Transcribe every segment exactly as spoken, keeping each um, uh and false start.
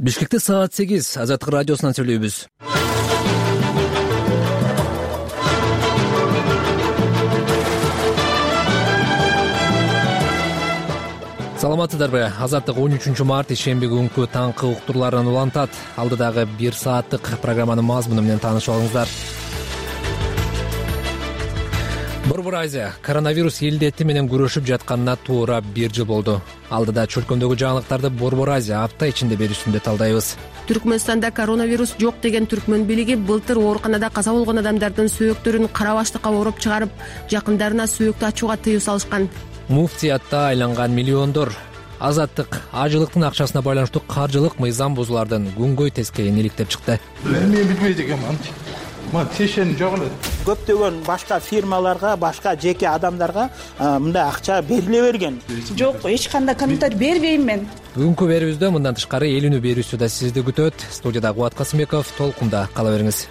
Бишкекте саат сегиз Азаттык радиосунан сүйлөйбүз. Саламатсыздарбы? Азаттык он үчүнчү март ишемби күнкү таңкы уктурларын улантат. Алдыдагы бир сааттык программанын мазмуну менен таанышып алыңыздар. Борбор Азия коронавирус илдети менен күрөшүп жатканына туура бир жыл болду. Алдыда чөлкөмдөгү жаңылыктарды Борбор Азия апта ичинде берүүсүндө талдайбыз. Түркмөнстанда коронавирус жок деген түркмөн бийлиги былтыр ооруканада каза болгон адамдардын сөөктөрүн кара баштыкка ороп чыгарып, жакындарына сөөктү ачууга тыюу салышкан. Муфтиятта айланган миллиондор. Азаттык ажылыктын акчасына байланыштуу каржылык мыйзам бузуулардын күнгөй тескейин иликтеп чыкты. Мен билбейт экенмин. Мына тешен жок эле. Көптөгөн башка фирмаларга, башка жеке адамдарга мындай акча бериле берген. Жок, эч кандай комментарий бербейм мен. Бүгүнкү берүүбүздө мындан тышкары эл үнү берүүсү да сизди күтөт. Студияда Кубат Касымбеков, толкунда кала бериңиз.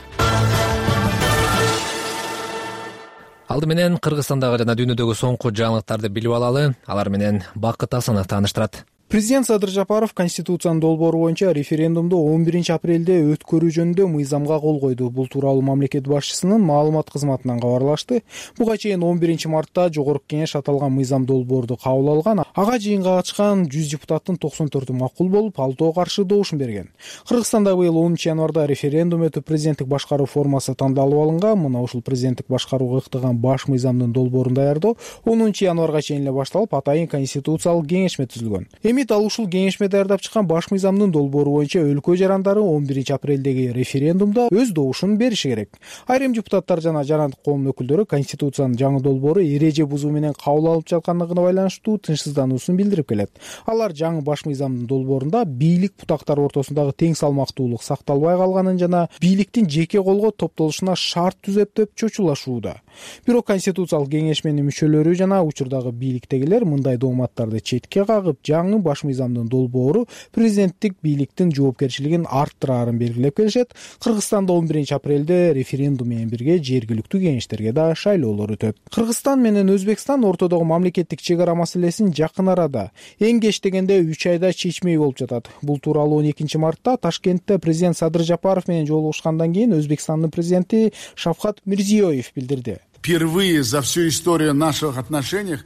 Алды менен Кыргызстандагы жана дүйнөдөгү соңку жаңылыктарды билип алалы. Алар менен Бакыт Асанов тааныштырат. Президент Садыр Жапаров Конституциянын долбоору боюнча референдумду он биринчи апрелде өткөрүү жөнүндө мыйзамга кол койду. Бул тууралуу мамлекет башчысынын маалымат кызматынан кабарлашты. Буга чейин он биринчи мартта Жогорку Кеңеш аталган мыйзам долбоорду кабыл алган. Ага жыйынга катышкан жүз депутаттын токсон төртү макул болуп, алтоо каршы добушун берген. Кыргызстанда быйыл онунчу январда референдум өтүп, президенттик башкаруу формасы тандалып алынган. Мына ушул президенттик башкарууга ыктаган баш мыйзамдын долбоорун даярдоо онунчу январга чейин эле башталып, атайын конституциялык кеңешме түзүлгөн. Эми ал ушул кеңешме даярдап чыккан баш мыйзамдын долбоору боюнча өлкө жарандары он биринчи апрелдеги референдумда өз добушун бериши керек. Айрым депутаттар жана жарандык коомдун өкүлдөрү Конституциянын жаңы долбоору эреже бузуу менен кабыл алынып жаткандыгына байланыштуу тынчсыздануусун билдирип келет. Алар жаңы баш мыйзамдын долбоорунда бийлик бутактары ортосундагы тең салмактуулук сакталбай калганын жана бийликтин жеке колго топтолушуна шарт түзөт деп чочулашууда. Бирок Конституциялык кеңешменин мүчөлөрү жана учурдагы бийликтегилер мындай дооматтарды четке кагып, жаңы баш мыйзамдын долбоору президенттик бийликтин жоопкерчилигин арттыраарын белгилеп келишет. Кыргызстанда он биринчи апрелде референдум менен бирге жергиликтүү кеңештерге да шайлоолор өтөт. Кыргызстан менен Өзбекстан ортодогу мамлекеттик чек ара маселесин жакын арада, эң кеч дегенде үч айда чечмей болуп жатат. Бул тууралуу он экинчи мартта Ташкентте президент Садыр Жапаров менен жолугушкандан кийин Өзбекстандын президенти Шавкат Мирзиёев билдирди. Впервые за всю историю наших отношений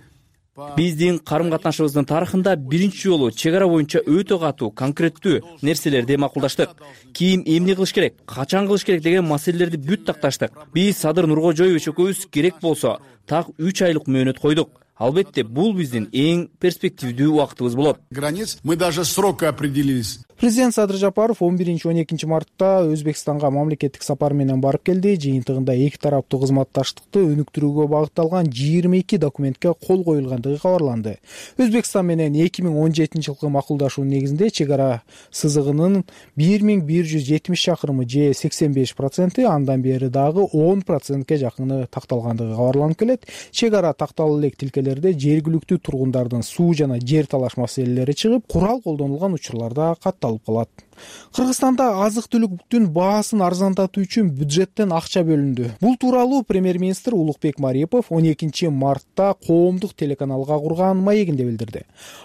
биздин карым-катнашыбыздын тарыхында биринчи жолу чек ара боюнча өтө катуу, конкреттүү нерселерди макулдаштык. Ким эмне кылыш керек, качан кылыш керек деген маселелерди бүт такташтык. Биз Садыр Нуркожоевич экөөбүз керек болсо так үч айлык мөөнөт койдук. Албетте, бул биздин эң перспективдүү убактыбыз болот. Границ мы даже срока определились. Президент Садыр Жапаров он биринчи он экинчи мартта Өзбекстанга мамлекеттик сапар менен барып келди. Жыйынтыгында эки тараптуу кызматташтыкты өнүктүрүүгө багытталган жыйырма эки документке кол коюлгандыгы кабарланды. Өзбекстан менен эки миң он жетинчи жылкы макулдашуу негизинде чек ара сызыгынын бир миң бир жүз жетимиш чакырымы же сексен беш проценти, андан бери дагы он процентке жакыны такталгандыгы кабарланып келет. Чек ара такталып элек тилкелерде жергиликтүү тургундардын суу жана жер талаш маселелери чыгып, курал колдонулган учурларда катталып калат. Кыргызстанда азык-түлүктүн баасын арзандатуу үчүн бюджеттен акча бөлүндү. Бул тууралуу премьер-министр Улукбек Марипов он экинчи мартта коомдук телеканалга курган маегинде билдирди.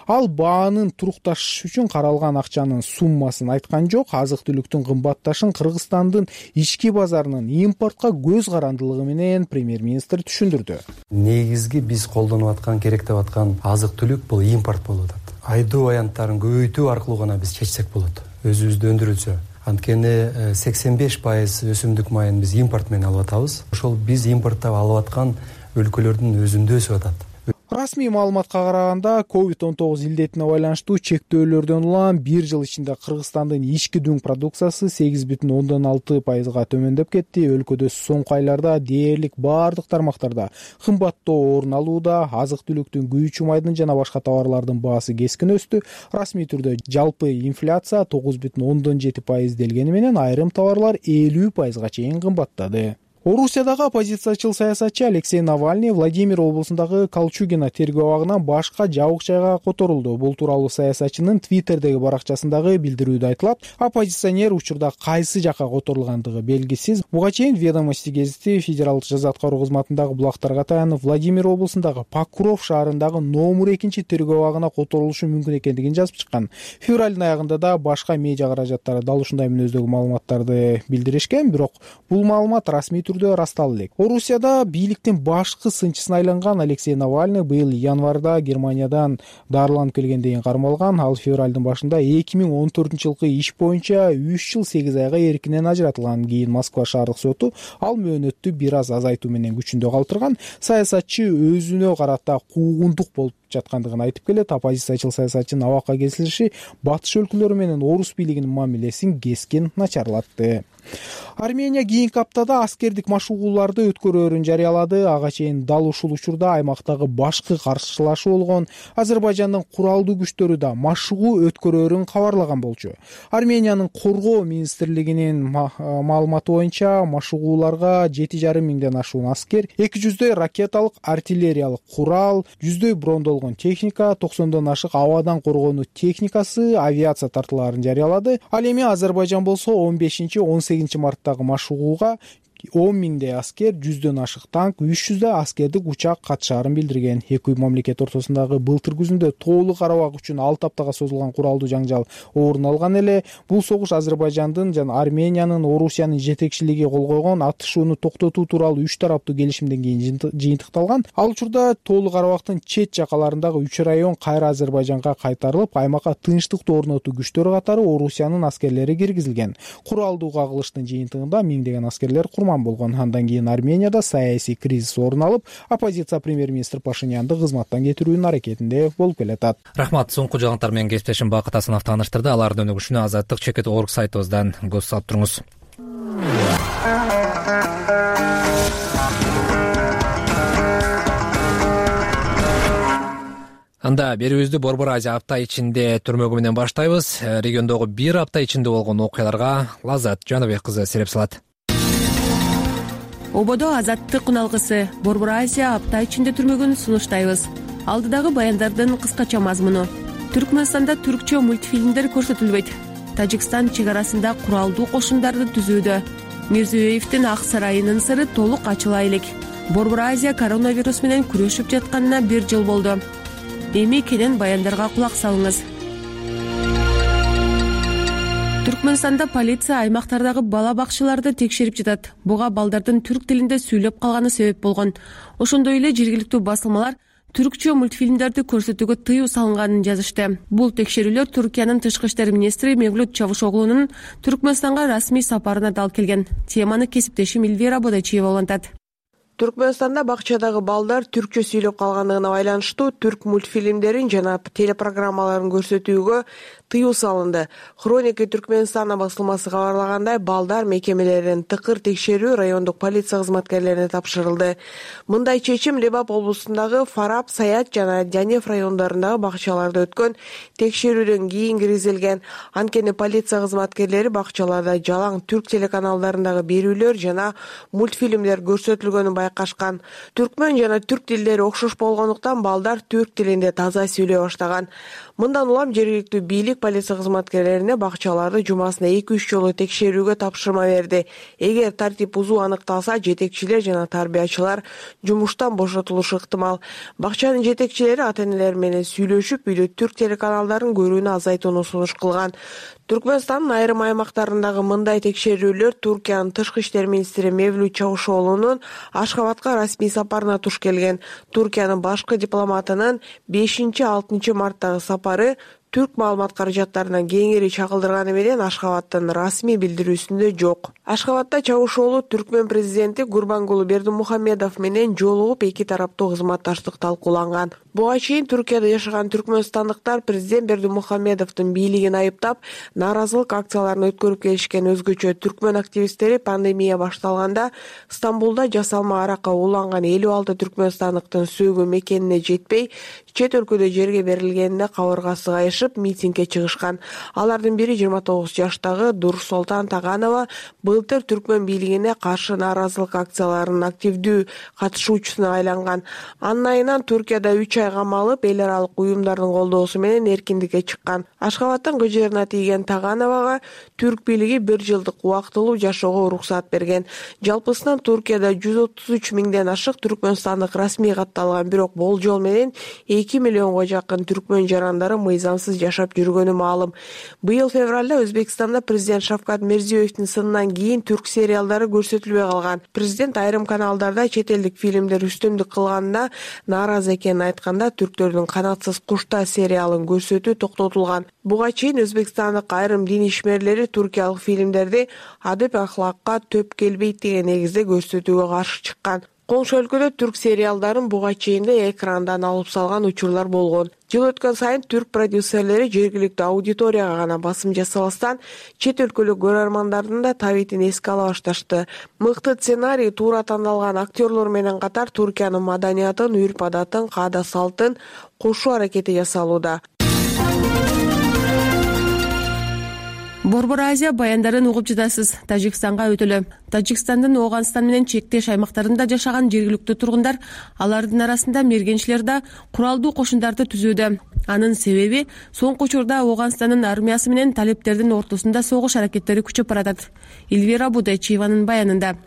Ал баанын турукташышы үчүн каралган акчанын суммасын айткан жок. Азык-түлүктүн кымбатташын Кыргызстандын ички базарынын импортко көз карандылыгы менен премьер-министр түшүндүрдү. Негизги биз колдонуп аткан, керектеп аткан азык-түлүк бул импорт болуп атат. Айдоо аянттарын көбөйтүү аркылуу гана биз чечсек болот. Өзүбүздө өндүрүлсө. Анткени сексен беш пайыз өсүмдүк майын биз импорт менен алып атабыз. Ошол биз импорттоп алып аткан өлкөлөрдүн өзүндө өсүп атат. Расмий маалыматка караганда, ковид он тогуз илдетине байланыштуу чектөөлөрдөн улам бир жыл ичинде Кыргызстандын ички дүң продукциясы сегиз бүтүн ондон алты пайызга төмөндөп кетти. Өлкөдө соңку айларда дээрлик баардык тармактарда кымбаттоо орун алууда. Азык-түлүктүн, күйүүчү майдын жана башка товарлардын баасы кескин өстү. Расмий түрдө жалпы инфляция тогуз бүтүн ондон жети пайыз делгени менен айрым товарлар элүү пайызга чейин кымбаттады. Орусиядагы оппозициячыл саясатчы Алексей Навальный Владимир облусундагы Колчугино тергөө абагынан башка жабык жайга которулду. Бул тууралуу саясатчынын Твиттердеги баракчасындагы билдирүүдө айтылат. Оппозиционер учурда кайсы жакка которулгандыгы белгисиз. Буга чейин Ведомости гезити федералдык жаза аткаруу кызматындагы булактарга таянып, Владимир облусундагы Покров шаарындагы номер экинчи тергөө абагына которулушу мүмкүн экендигин жазып чыккан. Февралдын аягында да башка медиа каражаттары дал ушундай мүнөздөгү маалыматтарды билдиришкен, бирок бул маалымат расмий түрдө ырастала элек. Орусияда бийликтин башкы сынчысына айланган Алексей Навальный быйыл январда Германиядан дарыланып келгенден кармалган. Ал февралдын башында эки миң он төртүнчү жылкы иш боюнча үч жыл сегиз айга эркинен ажыратылган. Кийин Москва шаардык соту ал мөөнөттү бир аз азайтуу менен күчүндө калтырган. Саясатчы өзүнө карата куугунтук болуп жаткандыгын айтып келет. Оппозициячыл саясатчынын абакка келиши батыш өлкөлөрү менен орус бийлигинин мамилесин кескин начарлатты. Армения кийинки аптада аскердик машыгууларды өткөрөөрүн жарыялады. Ага чейин дал ушул учурда аймактагы башкы каршылашуу болгон Азербайжандын куралдуу күчтөрү да машыгуу өткөрөөрүн кабарлаган болчу. Армениянын коргоо министрлигинин маалыматы боюнча машыгууларга жети жарым миңден ашуун аскер, эки жүздөй ракеталык артиллериялык курал, жүздөй брондолгон техника, токсондон ашык абадан коргонуу техникасы, авиация тартууларын жарыялады. Ал эми Азербайжан болсо он бешинчи он сегизинчи марттагы машыгууга он миңдей аскер, жүздөн ашык танк, үч жүздөй аскердик учак катышаарын билдирген. Эки мамлекет ортосундагы былтыр күзүндө тоолуу Карабак үчүн алты аптага созулган куралдуу жаңжал орун алган эле. Бул согуш Азербайжандын жана Армениянын Орусиянын жетекчилиги кол койгон атышууну токтотуу тууралуу үч тараптуу келишимден кийин жыйынтыкталган. Ал учурда тоолуу Карабактын чет жакаларындагы үч район кайра Азербайжанга кайтарылып, аймакка тынчтыкты орнотуу күчтөрү катары Орусиянын аскерлери киргизилген. Куралдуу кагылыштын жыйынтыгында миңдеген аскерлер курман болгон. Андан кийин Арменияда саясий кризис орун алып, оппозиция премьер-министр Пашинянды кызматтан кетирүүнүн аракетинде болуп келатат. Рахмат. Соңку жаңылыктар менен кесиптешим Бакыт Асанов тааныштырды. Алардын өнүгүшүнө азаттык чекит орг сайтыбыздан көз салып туруңуз. Анда берүүбүздү Борбор Азия апта ичинде түрмөгү менен баштайбыз. Региондогу бир апта ичинде болгон окуяларга Лаззат Жаныбек кызы сереп салат. Ободо азаттык уналгысы Борбор Азия апта ичинде түрмөгүн сунуштайбыз. Алдыдагы баяндардын кыскача мазмуну: Түркмөнстанда түркчө мультфильмдер көрсөтүлбөйт. Тажикстан чек арасында куралдуу кошундарды түзүүдө. Мирзиёевдин Ак сарайынын сыры толук ачыла элек. Борбор Азия коронавирус менен күрөшүп жатканына бир жыл болду. Эми кенен баяндарга кулак салыңыз. Түркмөнстанда полиция аймактардагы бала бакчаларды текшерип жатат. Буга балдардын түрк тилинде сүйлөп калганы себеп болгон. Ошондой эле жергиликтүү басылмалар түркчө мультфильмдерди көрсөтүүгө тыюу салынганын жазышты. Бул текшерүүлөр Түркиянын тышкы иштер министри Мевлют Чавушоглунун Түркмөнстанга расмий сапарына дал келген. Теманы кесиптешим Эльвира Бодачиева улантат. Түркмөнстанда бакчадагы балдар түркчө сүйлөп калгандыгына байланыштуу түрк мультфильмдерин жана телепрограммаларын көрсөтүүгө тыюу салынды. Хроника Түркмөнстана басылмасы кабарлагандай, балдар мекемелерин тыкыр текшерүү райондук полиция кызматкерлерине тапшырылды. Мындай чечим Лебап облусундагы Фараб, Саят жана Жанев райондорундагы бакчаларда өткөн текшерүүдөн кийин киргизилген. Анткени полиция кызматкерлери бакчаларда жалаң түрк телеканалдарындагы берүүлөр жана мультфильмдер көрсөтүлгөнүн байкашкан. Түркмөн жана түрк тилдери окшош болгондуктан балдар түрк тилинде таза сүйлөй баштаган. Мындан улам жергиликтүү бийлик полиция кызматкерлерине бакчаларды жумасына эки үч жолу текшерүүгө тапшырма берди. Эгер тартип бузуу аныкталса, жетекчилер жана тарбиячылар жумуштан бошотулушу ыктымал. Бакчанын жетекчилери ата-энелер менен сүйлөшүп, үйдө түрк телеканалдарын көрүүнү азайтууну сунуш кылган. Түркмөнстандын айрым аймактарындагы мындай текшерүүлөр Түркиянын тышкы иштер министри Мевлют Чавушоглунун Ашхабадка расмий сапарына туш келген. Түркиянын башкы дипломатынын бешинчи алтынчы марттагы сапары түрк маалымат каражаттарынан кеңири чагылдырганы менен Ашхабадтын расмий билдирүүсүндө жок. Ашхабадда Чавушоглу Түркмөн президенти Гурбангулы Бердимухамедов менен жолугуп, эки тараптуу кызматташтык талкууланган. Буга чейин Түркияда жашаган түркмөнстандыктар президент Бердимухамедовдун бийлигин айыптап, нааразылык акцияларын өткөрүп келишкен. Өзгөчө түркмөн активисттери пандемия башталганда Стамбулда жасалма аракка уланган элүү алты түркмөнстандыктын сөөгү мекенине жетпей, чет өлкөдө жерге берилгенине кабыргасы кайышкан. катышып митингге чыгышкан. Алардын бири жыйырма тогуз жаштагы Дурсултан Таганова былтыр түркмөн бийлигине каршы нааразылык акцияларынын активдүү катышуучусуна айланган. Анын айынан Түркияда үч ай камалып, эл аралык уюмдардын колдоосу менен эркиндикке чыккан. Ашхабадтын кыжырына тийген Тагановага түрк бийлиги бир жылдык убактылуу жашоого уруксаат берген. Жалпысынан Түркияда жүз отуз үч миңден ашык түркмөнстандык расмий катталган, бирок болжол менен эки миллионго жакын түркмөн жарандары мыйзамсыз жашап жүргөнү маалым. Быйыл февралда Өзбекстанда президент Шавкат Мирзиёевдин сынынан кийин түрк сериалдары көрсөтүлбөй калган. Президент айрым каналдарда чет элдик фильмдер үстүмдүк кылганына нааразы экенин айтканда, түрктөрдүн Канатсыз куштар сериалын көрсөтүү токтотулган. Буга чейин Өзбекстандык айрым дин ишмерлери туркиялык фильмдерди адеп ахлакка төп келбейт деген негизде көрсөтүүгө каршы чыккан. Коңшу өлкөдө түрк сериалдарын буга чейин да экрандан алып салган учурлар болгон. Жыл өткөн сайын түрк продюсерлери жергиликтүү аудиторияга гана басым жасабастан, чет өлкөлүк көрөрмандардын да табитин эске ала башташты. Мыкты сценарий, туура тандалган актерлор менен катар Түркиянын маданиятын, үрп-адатын, каада-салтын кошуу аракети жасалууда. Борбор Азия баяндарын угуп жатасыз. Тажикстанга өтөлө. Тажикстандын Ооганстан менен чектеш аймактарында жашаган жергиликтүү тургундар алардын арасында мергенчилер да куралдуу кошундарды түзүүдө. Анын себеби соңку учурда Ооганстандын армиясы менен талиптердин ортосунда согуш аракеттери күчөп баратат. Эльвира Будайчиеванын баянында.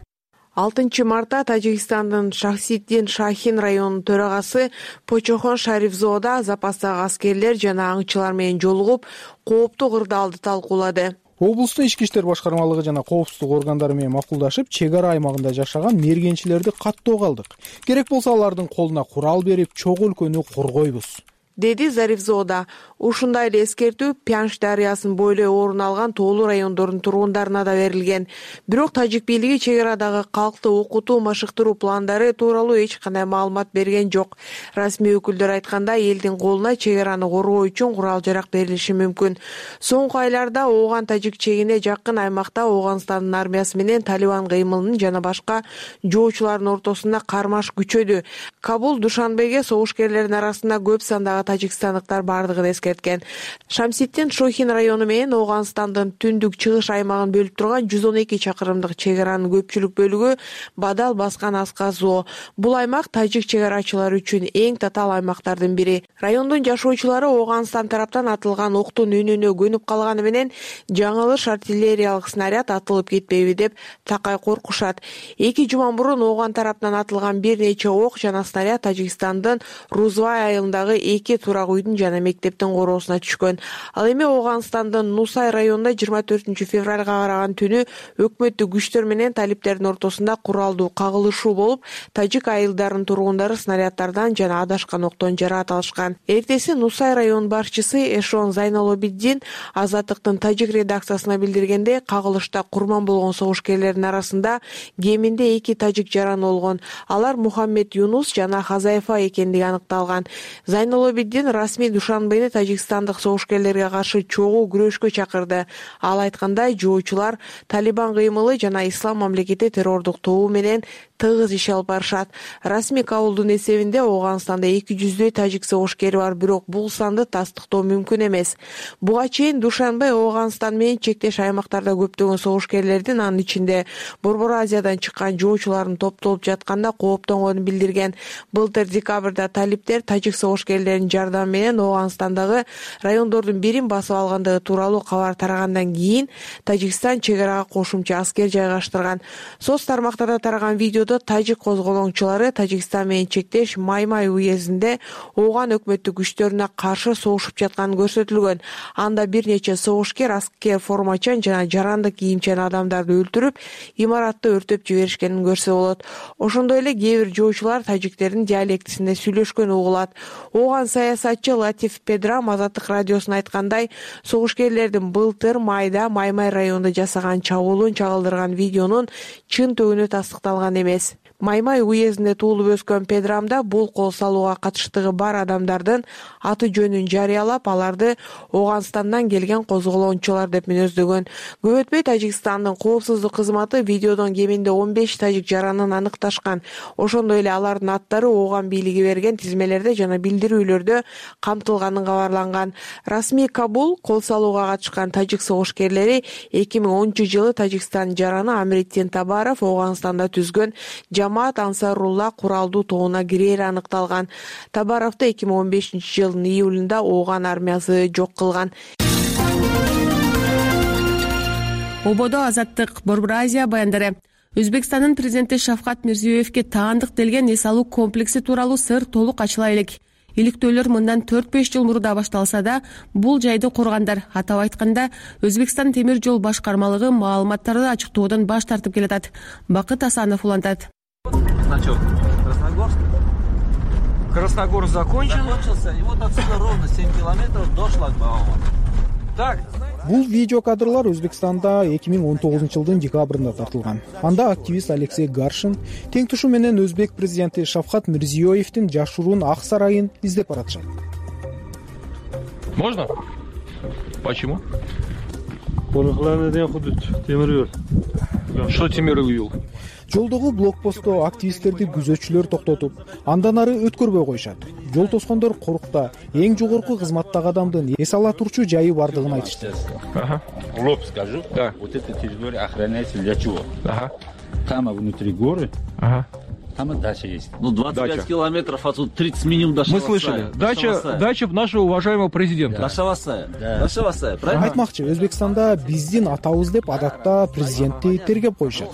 алтынчы мартта Тажикстандын Шахсиддин Шахин районунун төрагасы Почохон Шарифзода запастагы аскерлер жана аңчылар менен жолугуп, кооптуу кырдаалды талкуулады. Облустун ички иштер башкармалыгы жана коопсуздук органдары менен макулдашып, чек ара аймагында жашаган мергенчилерди каттоого алдык. Керек болсо алардын колуна курал берип, чок өлкөнү коргойбуз, деди Зарифзода. Ушундай эле эскертүү Пянш дарыясын бойлой орун алган тоолуу райондордун тургундарына да берилген. Бирок тажик бийлиги чек арадагы калкты окутуу, машыктыруу пландары тууралуу эч кандай маалымат берген жок. Расмий өкүлдөр айткандай, элдин колуна чек араны коргоо үчүн курал-жарак берилиши мүмкүн. Соңку айларда Ооган-Тажик чегине жакын аймакта Ооганстандын армиясы менен Талибан кыймылынын жана башка жоочулардын ортосунда кармаш күчөдү. Кабул Душанбеге согушкерлердин арасында көп сандагы тажикстандыктар бардыгын эскерткен. Шамсиддин Шохин району менен Ооганстандын түндүк чыгыш аймагын бөлүп турган жүз он эки чакырымдык чек аранын көпчүлүк бөлүгү Бадал баскан Асказоо. Бул аймак тажик чек арачылары үчүн эң татаал аймактардын бири. Райондун жашоочулары Ооганстан тараптан атылган октун үнүнө көнүп калганы менен жаңылыш артиллериялык снаряд атылып кетпейби деп такай коркушат. Эки жума мурун Ооган тараптан атылган бир нече ок жана снаряд Тажикстандын Рузвай айылындагы эки турак үйдүн жана мектептин короосуна түшкөн. Ал эми Ооганстандын Нусай районунда жыйырма төртүнчү февралга караган түнү өкмөттүк күчтөр менен талиптердин ортосунда куралдуу кагылышуу болуп, тажик айылдарынын тургундары снаряддардан жана адашкан октон жараат алышкан. Эртеси Нусай район башчысы Эшон Зайнолобиддин Азаттыктын тажик редакциясына билдиргенде, кагылышта курман болгон согушкерлердин арасында кеминде эки тажик жаран болгон. Алар Мухаммед Юнус жана Хазайфа экендиги аныкталган. Зайнолобиддин расмий Душанбени тажикстандык согушкерлерге каршы чогуу күрөшкө чакырды. Ал айткандай, жоочулар Талибан кыймылы жана Ислам мамлекети террордук тобу менен тыгыз иш алып барышат. Расмий Кабулдун эсебинде Ооганстанда эки жүздөй тажик согушкери бар, бирок бул санды тастыктоо мүмкүн эмес. Буга чейин Душанбе Ооганстан менен чектеш аймактарда көптөгөн согушкерлердин, анын ичинде Борбор Азиядан чыккан жоочулардын топтолуп жатканда кооптонгонун билдирген. Былтыр декабрда талиптер тажик согушкерлеринин жардамы менен Ооганстандагы райондордун бирин басып алгандыгы тууралуу кабар тарагандан кийин Тажикстан чек арага кошумча аскер жайгаштырган. Соц тармактарда тараган видеодо тажик козголоңчулары Тажикстан менен чектеш Маймай уездинде Ооган өкмөттүк күчтөрүнө каршы согушуп жатканы көрсөтүлгөн. Анда бир нече согушкер аскер формачан жана жарандык кийимчен адамдарды өлтүрүп, имаратты өртөп жиберишкенин көрсө болот. Ошондой эле кээ бир жоочулар тажиктердин диалектисинде сүйлөшкөн угулат. Ооган саясатчы Латиф Педрам Азаттык радиосуна айткандай, согушкерлердин былтыр майда Маймай районунда жасаган чабуулун чагылдырган видеонун чын төгүнү тастыкталган эмес. Маймай уездинде туулуп өскөн Педрамда бул кол салууга катыштыгы бар адамдардын аты жөнүн жарыялап, аларды Ооганстандан келген козголоончулар деп мүнөздөгөн. Көп өтпөй Тажикстандын коопсуздук кызматы видеодон кеминде он беш тажик жаранын аныкташкан. Ошондой эле алардын аттары Ооган бийлиги берген тизмелерде жана билдирүүлөрдө камтылганын кабарланган. Расмий Кабул кол салууга катышкан тажик согушкерлери эки миң онунчу жылы Тажикстан жараны Амирдин Табаров Ооганстанда түзгөн Жамаат Ансарулла куралдуу тобуна кирери аныкталган. Табаровду эки миң он бешинчи жылдын июлунда Ооган армиясы жок кылган. Ободо Азаттык, Борбор Азия баяндары. Өзбекстандын президенти Шавкат Мирзиёевке таандык делген эс алуу комплекси тууралуу сыр толук ачыла элек. Иликтөөлөр мындан төрт беш жыл мурда башталса да, бул жайды кургандар, атап айтканда, Өзбекстан темир жол башкармалыгы маалыматтарды ачыктоодон баш тартып келатат. Бакыт Асанов улантат. Значок Красногорск. Красногорск закончен. Закончился, и вот отсюда ровно семь километров до шлагбаума. Так. Бул видео кадрлар Өзбекстанда эки миң он тогузунчу жылдын декабрында тартылган. Анда активист Алексей Гаршин тең тушу менен Өзбек президенти Шавкат Мирзиёевдин жашыруун ак сарайын издеп баратышат. Можно? Почему? Темир жол. Что темир жол? Жолдогу блокпостто активисттерди күзөтчүлөр токтотуп, андан ары өткөрбөй коюшат. Жол тоскондор корукта эң жогорку кызматтагы адамдын эс ала турчу жайы бардыгын айтышты. Ага. Лоб скажу. Да. Вот эта территория охраняется для чего? Ага. Там внутри горы. Ага. Там и дача есть. Ну, двадцать пять дача. Километров отсюда, тридцать минимум до Шавасая. Мы слышали. Дача, дача нашего уважаемого президента. До Шавасая. Да. До Шавасая, правильно? Айтмакчы, Өзбекстанда биздин атабыз деп адатта президентти тергеп коюшат.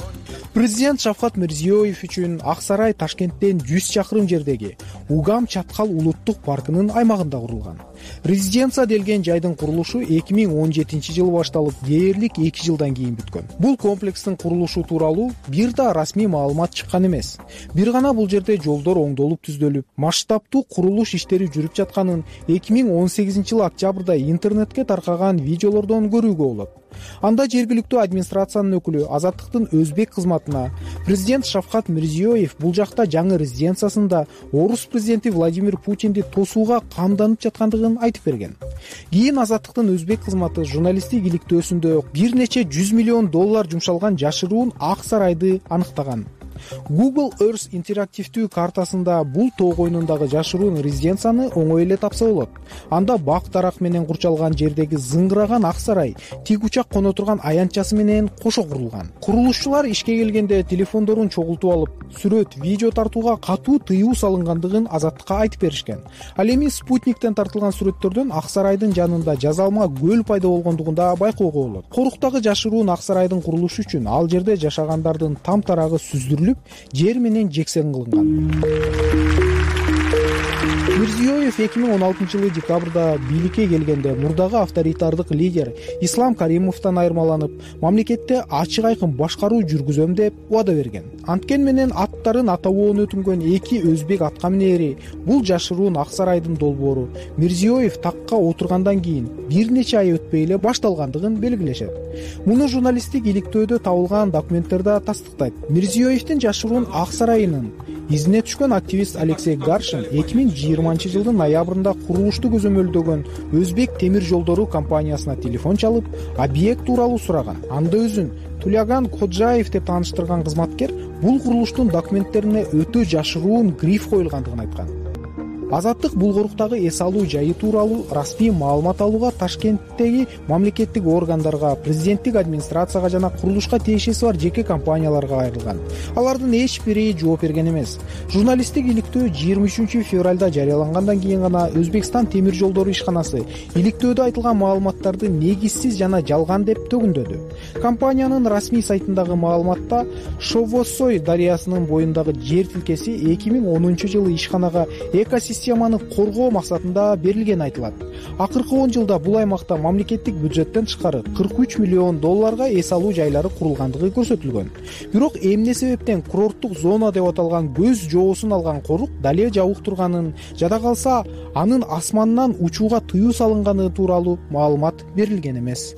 Президент Шавкат Мирзиёев үчүн Ак сарай Ташкенттен жүз чакырым жердеги Угам Чаткал улуттук паркынын аймагында курулган. Резиденция делген жайдын курулушу эки миң он жетинчи жылы башталып, дээрлик эки жылдан кийин бүткөн. Бул комплекстин курулушу тууралуу бир да расмий маалымат чыккан эмес. Бир гана бул жерде жолдор оңдолуп түздөлүп, масштабтуу курулуш иштери жүрүп жатканын эки миң он сегизинчи жылы октябрда интернетке таркаган видеолордон көрүүгө болот. Анда жергиликтүү администрациянын өкүлү Азаттыктын өзбек кызматына президент Шавкат Мирзиёев бул жакта жаңы резиденциясында орус президенти Владимир Путинди тосууга камданып жаткандыгын айтып берген. Кийин Азаттыктын өзбек кызматы журналисттик иликтөөсүндө бир нече жүз миллион доллар жумшалган жашыруун Ак сарайды аныктаган. Google Earth интерактивдүү картасында бул тоо койнундагы жашыруун резиденцияны оңой эле тапса болот. Анда бак дарак менен курчалган жердеги зыңгыраган Ак сарай тик учак коно турган аянтчасы менен кошо курулган. Курулушчулар ишке келгенде телефондорун чогултуп алып, сүрөт, видео тартууга катуу тыюу салынгандыгын Азаттыкка айтып беришкен. Ал эми спутниктен тартылган сүрөттөрдөн Ак сарайдын жанында жазалма көл пайда болгондугунда байкоого болот. Коруктагы жашыруун Ак сарайдын курулушу үчүн ал жерде жашагандардын там тарагы сүздүрүлүп, жер менен жексен кылынган. Мирзиёев эки миң он алтынчы жылы декабрда бийликке келгенде мурдагы авторитардык лидер Ислам Каримовдон айырмаланып, мамлекетте ачык айкын башкаруу жүргүзөм деп убада берген. Анткен менен аттарын атабоон өтүнгөн эки өзбек аткаминери бул жашыруун Ак сарайдын долбоору Мирзиёев такка отургандан кийин бир нече ай өтпөй эле башталгандыгын белгилешет. Муну журналисттик иликтөөдө табылган документтер да тастыктайт. Мирзиёевдин жашыруун Ак сарайынын изине түшкөн активист Алексей Гаршин эки миң жыйырманчы жылдын ноябрында курулушту көзөмөлдөгөн Өзбек темир жолдору компаниясына телефон чалып, объект тууралуу сураган. Анда өзүн Туляган Коджаев деп тааныштырган кызматкер бул курулуштун документтерине өтө жашыруун гриф коюлгандыгын айткан. Азаттык Булгоруктагы эс алуу жайы тууралуу расмий маалымат алууга Ташкенттеги мамлекеттик органдарга, президенттик администрацияга жана курулушка тиешеси бар жеке компанияларга кайрылган. Алардын эч бири жооп берген эмес. Журналисттик иликтөө жыйырма үчүнчү февралда жарыялангандан кийин гана Өзбекстан темир жолдору ишканасы иликтөөдө айтылган маалыматтарды негизсиз жана жалган деп төгүндөдү. Компаниянын расмий сайтындагы маалыматта Шовосой дарыясынын боюндагы жер тилкеси эки миң онунчу жылы ишканага экосистема системаны коргоо максатында берилгени айтылат. Акыркы он жылда бул аймакта мамлекеттик бюджеттен тышкары кырк үч миллион долларга эс алуу жайлары курулгандыгы көрсөтүлгөн. Бирок эмне себептен курорттук зона деп аталган көз жоосун алган корук дале жабык турганын, жада калса анын асманынан учууга тыюу салынганы тууралуу маалымат берилген эмес.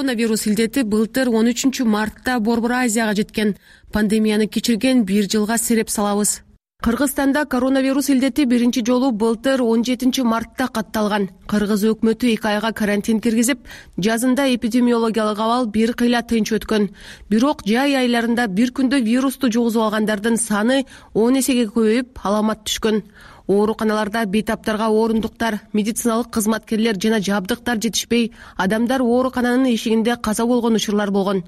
коронавирус илдети былтыр он үчүнчү мартта Борбор Азияга жеткен. Пандемияны кечирген бир жылга сереп салабыз. Кыргызстанда коронавирус илдети биринчи жолу былтыр он жетинчи мартта катталган. Кыргыз өкмөтү эки айга карантин киргизип, жазында эпидемиологиялык абал бир кыйла тынч өткөн. Бирок жай айларында бир күндө вирусту жугузуп алгандардын саны он эсеге көбөйүп, аламат түшкөн. Ооруканаларда бейтаптарга орундуктар, медициналык кызматкерлер жана жабдыктар жетишпей, адамдар оорукананын эшигинде каза болгон учурлар болгон.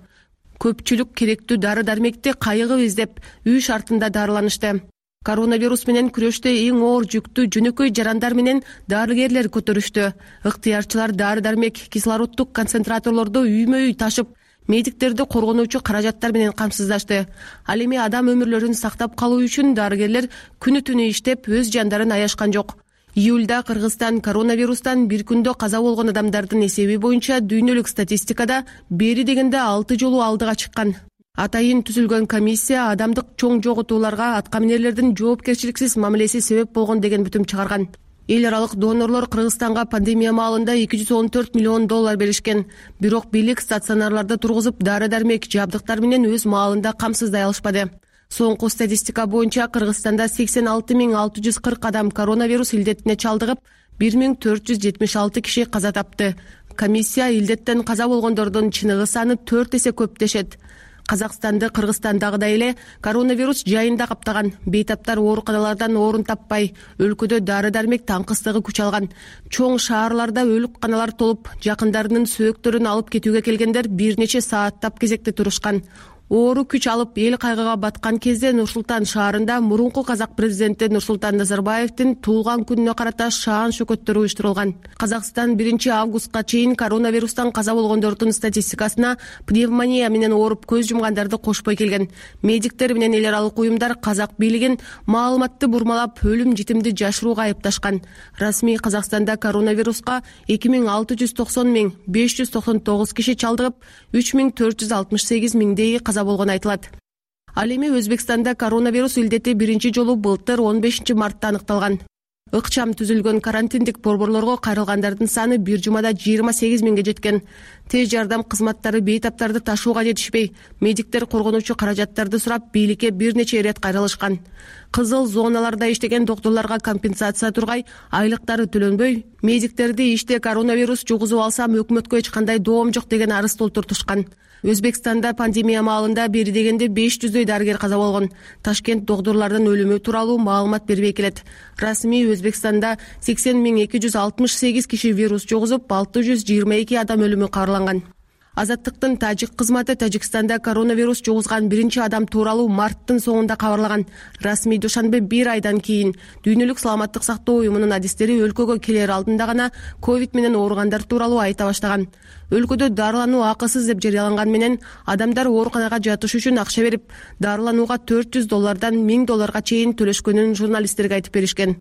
Көпчүлүк керектүү дары-дармекти кайыгып издеп, үй шартында дарыланышты. Коронавирус менен күрөштө эң оор жүктү жөнөкөй жарандар менен дарыгерлер көтөрүштү. Ыктыярчылар дары-дармек, кислороддук концентраторлорду үймө-үй ташып, медиктерди коргонуучу каражаттар менен камсыздашты. Ал эми адам өмүрлөрүн сактап калуу үчүн дарыгерлер күнү-түнү иштеп, өз жандарын аяшкан жок. Июлда Кыргызстан коронавирустан бир күндө каза болгон адамдардын эсеби боюнча дүйнөлүк статистикада бери дегенде алты жолу алдыга чыккан. Атайын түзүлгөн комиссия адамдык чоң жоготууларга аткаминерлердин жоопкерчиликсиз мамилеси себеп болгон деген бүтүм чыгарган. Эл аралык донорлор Кыргызстанга пандемия маалында эки жүз он төрт миллион доллар беришкен. Бирок бийлик стационарларда тургузуп, дары-дармек, жабдыктар менен өз маалында камсыздай алышпады. Соңку статистика боюнча Кыргызстанда сексен алты миң алты жүз кырк адам коронавирус илдетине чалдыгып, бир миң төрт жүз жетимиш алты киши каза тапты. Комиссия илдеттен каза болгондордун чыныгы саны төрт эсе көп дешет. Казакстанды Кыргызстандагыдай эле коронавирус жайында каптаган. Бейтаптар ооруканалардан орун таппай, өлкөдө дары-дармек таңкыстыгы күч алган. Чоң шаарларда өлүк каналар толуп, жакындарынын сөөктөрүн алып кетүүгө келгендер бир нече сааттап кезекте турушкан. Оору күч алып эл кайгыга баткан кезде Нур-Султан шаарында мурунку казак президенти Нурсултан Назарбаевдин туулган күнүнө карата шаан шөкөттөр уюштурулган. Казакстан биринчи августка чейин коронавирустан каза болгондордун статистикасына пневмония менен ооруп көз жумгандарды кошпой келген. Медиктер менен эл аралык уюмдар казак бийлигин маалыматты бурмалап, өлүм житимди жашырууга айыпташкан. Расмий Казакстанда коронавируска эки миң алты жүз токсон миң беш жүз токсон тогуз киши чалдыгып, үч миң төрт жүз алтымыш сегиз миңдей каза болгон айтылат. Ал эми Өзбекстанда коронавирус илдети биринчи жолу былтыр он бешинчи мартта аныкталган. Ыкчам түзүлгөн карантиндик борборлорго кайрылгандардын саны бир жумада жыйырма сегиз миңге жеткен. Тез жардам кызматтары бейтаптарды ташууга жетишпей, медиктер коргонуучу каражаттарды сурап, бийликке бир нече ирет кайрылышкан. Кызыл зоналарда иштеген доктурларга компенсация тургай, айлыктары төлөнбөй, медиктерди иште коронавирус жугузуп алсам өкмөткө эч кандай доом жок деген арыз толтуртушкан. Өзбекстанда пандемия маалында бери дегенде беш жүздөй дарыгер каза болгон. Ташкент доктурлардын өлүмү тууралуу маалымат бербей келет. Расмий Өзбекстанда сексен миң эки жүз алтымыш сегиз киши вирус жугузуп, алты жүз жыйырма эки адам өлүмү кабарланган. Азаттыктын тажик кызматы Тажикстанда коронавирус жугузган биринчи адам тууралуу марттын соңунда кабарлаган. Расмий душанбе бир айдан кийин Дүйнөлүк саламаттык сактоо уюмунун адистери өлкөгө келер алдында гана ковид менен ооругандар тууралуу айта баштаган. Өлкөдө дарылануу акысыз деп жарыяланган менен адамдар ооруканага жатыш үчүн акча берип, дарыланууга төрт жүз доллардан миң долларга чейин төлөшкөнүн журналисттерге айтып беришкен.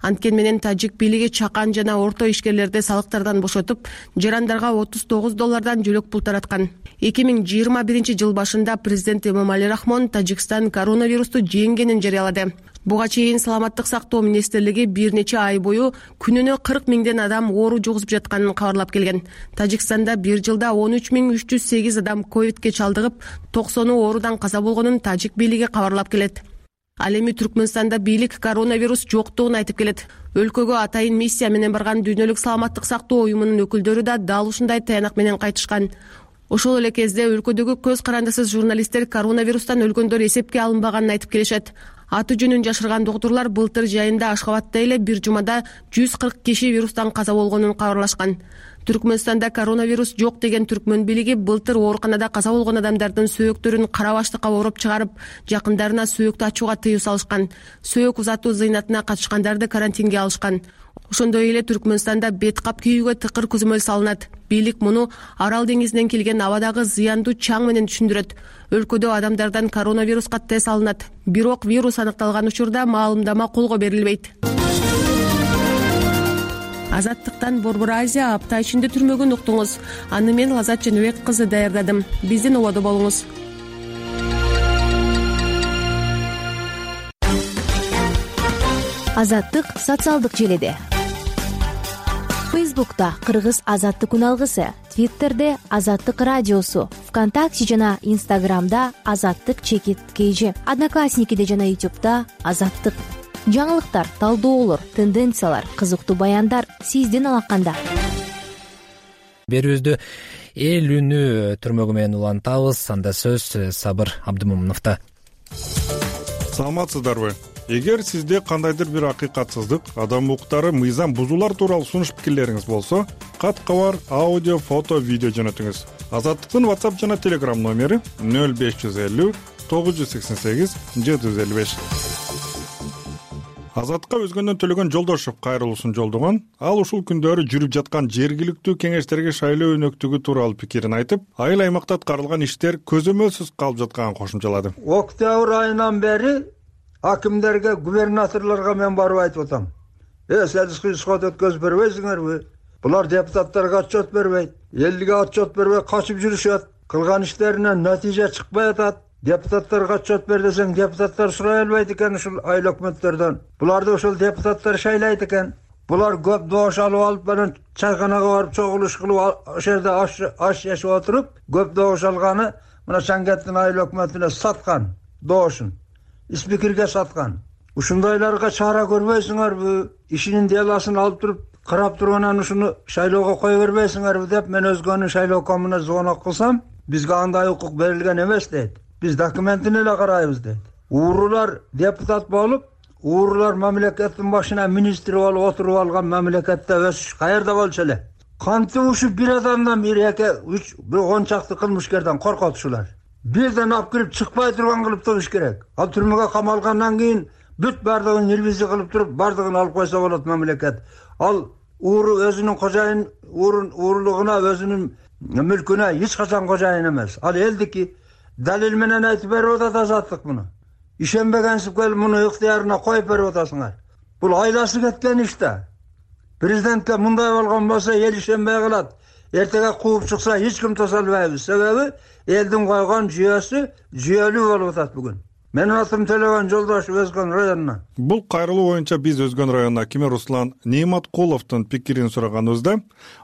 Анткен менен тажик бийлиги чакан жана орто ишкерлерди салыктардан бошотуп, жарандарга отуз тогуз доллардан жөлөк пул тараткан. эки миң жыйырма биринчи жыл башында президент Эмомали Рахмон Тажикстан коронавирусту жеңгенин жарыялады. Буга чейин саламаттык сактоо министрлиги бир нече ай бою күнүнө кырк миңден адам оору жугузуп жатканын кабарлап келген. Тажикстанда бир жылда он үч миң үч жүз сегиз адам ковидке чалдыгып, токсону оорудан каза болгонун тажик бийлиги кабарлап келет. Ал эми Түркмөнстанда бийлик коронавирус жоктугун айтып келет. Өлкөгө атайын миссия менен барган Дүйнөлүк саламаттык сактоо уюмунун өкүлдөрү да дал ушундай таянак менен кайтышкан. Ошол эле кезде өлкөдөгү көз карандысыз журналисттер коронавирустан өлгөндөр эсепке алынбаганын айтып келишет. Аты жөнүн жашырган доктурлар былтыр жайында Ашхабадда эле бир жумада жүз кырк киши вирустан каза болгонун кабарлашкан. Түркмөнстанда коронавирус жок деген түркмөн бийлиги былтыр ооруканада каза болгон адамдардын сөөктөрүн кара баштыкка ороп чыгарып, жакындарына сөөктү ачууга тыюу салышкан. Сөөк узатуу зыйнатына катышкандарды карантинге алышкан. Ошондой эле Түркмөнстанда бет кап кийүүгө тыкыр көзөмөл салынат. Бийлик муну Арал деңизинен келген абадагы зыяндуу чаң менен түшүндүрөт. Өлкөдө адамдардан коронавируска тест алынат. Бирок вирус аныкталган учурда маалымдама колго берилбейт. Азаттыктан Борбор Азия апта ичинде түрмөгүн уктуңуз. Аны мен Лазат Женебек кызы даярдадым. Биздин ободо болуңуз. Азаттык социалдык желиде. Фейсбукта Кыргыз азаттык үн алгысы, Твиттерде Азаттык радиосу, ВКонтакте жана Инстаграмда Азаттык чекит kg, Одноклассникиде жана Ютубда Азаттык. Жаңылыктар, талдоолор, тенденциялар, кызыктуу баяндар сиздин алаканда. Берүүбүздү эл үнү түрмөгү менен улантабыз. Анда сөз Сабыр Абдымомуновдо. Саламатсыздарбы? Эгер сизде кандайдыр бир акыйкатсыздык, адам укуктары, мыйзам бузуулар тууралуу сунуш пикирлериңиз болсо, кат кабар, аудио, фото, видео жөнөтүңүз. Азаттыктын WhatsApp жана Telegram номери нөл беш жүз элүү тогуз жүз сексен сегиз жети жүз элүү беш. Азаттыкка өзгөндөн Төлөгөн Жолдошов кайрылуусун жолдогон. Ал ушул күндөрү жүрүп жаткан жергиликтүү кеңештерге шайлоо өнөктүгү тууралуу пикирин айтып, айыл аймакта аткарылган иштер көзөмөлсүз калып жатканын кошумчалады. Октябрь айынан бери акимдерге, губернаторлорго мен барып айтып атам. Э, сиз исход өткөзүп бербейсиңерби? Булар депутаттарга отчет бербейт, элге отчет бербей качып жүрүшөт. Кылган иштеринен натыйжа чыкпай атат. Депутаттарга отчет бер десең, депутаттар сурай албайт экен ушул айыл өкмөттөрдөн. Буларды ошол депутаттар шайлайт экен. Булар көп добуш алып алып, менен чайканага барып чогулуш кылып, ошол жерде аш жешип отуруп, көп добуш алганы мына Шангеттин айыл өкмөтүнө саткан добушун. Спикерге саткан. Ушундайларга чара көрбөйсүңөрбү? Ишинин деласын алып туруп, карап турганан ушуну шайлоого кое бербейсиңерби деп мен өзгөнүн шайлоо комуна звонок кылсам, бизге андай укук берилген эмес дейт. Биз документин эле карайбыз дейт. Уурулар депутат болуп, уурулар мамлекеттин башына министр болуп отуруп алган мамлекетте өсүш каерде болчу эле? Кантип ушу бир адамдан бир эки үч бир он чакты кылмышкерден коркот ушулар. Бирден алып кирип чыкпай турган кылып туруш керек. Ал түрмөгө камалгандан кийин бүт бардыгын ревизия кылып туруп, бардыгын алып койсо болот мамлекет. Ал ууру өзүнүн кожайын, уурун уурулугуна, өзүнүн мүлкүнө эч качан кожайын эмес. Ал элдики. Далил менен айтып берип атат Азаттык муну. Ишенбегенсип келип муну ыктыярына коюп берип атасыңар. Бул айласы кеткен иш да. Президентке мындай болгон болсо эл ишенбей калат. Эртеге кууп чыкса эч ким тоса албайбыз. Себеби элдин койгон жүйөсү жүйөлүү болуп атат бүгүн. Менин атым Төлөгөн Жолдошов, Өзгөн районунан. Бул кайрылуу боюнча биз Өзгөн районунун акими Руслан Нейматкуловдун пикирин сураганыбызда,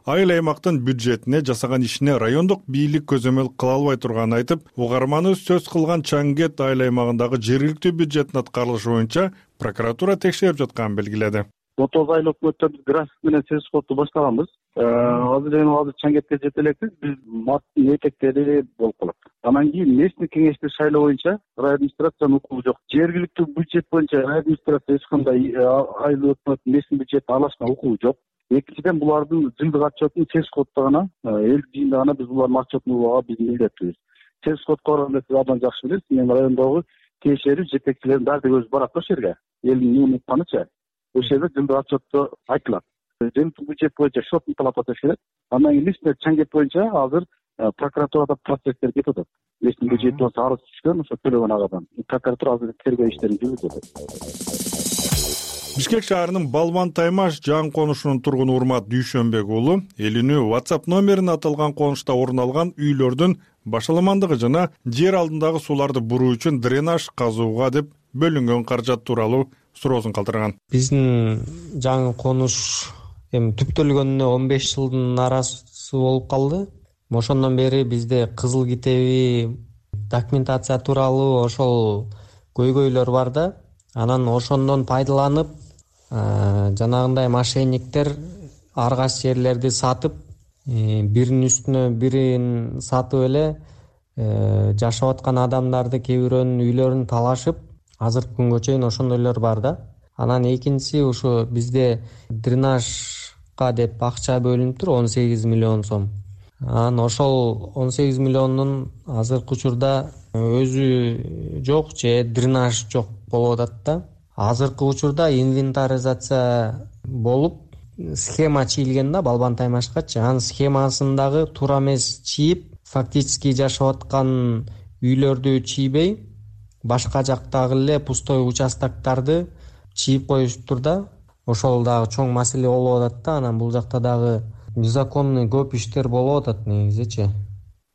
айыл аймактын бюджетине, жасаган ишине райондук бийлик көзөмөл кыла албай турганын айтып, угарманы сөз кылган Чангет айыл аймагындагы жергиликтүү бюджеттин аткарылышы боюнча прокуратура текшерип жатканын белгиледи. отуз айыл өкмөттөр график менен сөз кылып баштаганбыз. Азыр эми азыр Чангетке жете элекпиз. Биз марттын этектери болуп калат. Анан кийин местный кеңешти шайлоо боюнча район администрациянын укугу жок. Жергиликтүү бюджет боюнча район администрация эч кандай айыл өкмөт местный бюджетти алышына укугу жок. Экинчиден булардын жылдык отчетун сез коддо гана, эл жыйында гана биз булардын отчетун угууга биз милдеттүүбүз. Сез кодго барганда сиз абдан жакшы билесиз. Мен райондогу тиешелүү жетекчилердин баары өз барат ошол жерге. Элдин эмне укканыча. Ошол жерде жылдык отчетто айтылат. Жергиликтүү бюджет боюнча шотун талап атыш керек. Андан кийин личный Чангет боюнча азыр прокуратурада процесстер кетип атат. Личный бюджет боюнча арыз түшкөн, ошо Төлөгөн агадан. Прокуратура азыр тергөө иштерин жүргүзүп атат. Бишкек шаарынын Балбан Таймаш жаңы конушунун тургуну Урмат Дүйшөнбек уулу эл үнү WhatsApp номерин аталган конушта орун алган үйлөрдүн башаламандыгы жана жер алдындагы сууларды буруу үчүн дренаж казууга деп бөлүнгөн каражат тууралуу суроосун калтырган. Биздин жаңы конуш эми түптөлгөнүнө он беш жылдын арасы болуп калды. Ошондон бери бизде кызыл китеби документация тууралуу ошол көйгөйлөр бар да. Анан ошондон пайдаланып, жанагындай мошенниктер ар кайсы жерлерди сатып, биринин үстүнө бирин сатып эле жашап аткан адамдарды, кээ бирөөнүн үйлөрүн талашып, азыркы күнгө чейин ошондойлор бар да. Анан экинчиси ушу бизде дренажга деп акча бөлүнүп тур, он сегиз миллион сом. Анан ошол он сегиз миллиондун азыркы учурда өзү жок же дренаж жок болуп атат да. Азыркы учурда инвентаризация болуп, схема чийилген да Балбан Таймашкачы. Анын схемасындагы туура эмес чийип, фактически жашап аткан үйлөрдү чийбей, башка жактагы эле пустой участоктарды чийип коюшуптур да. Ошол дагы чоң маселе болуп атат да. Анан бул жакта дагы незаконный көп иштер болуп атат негизичи.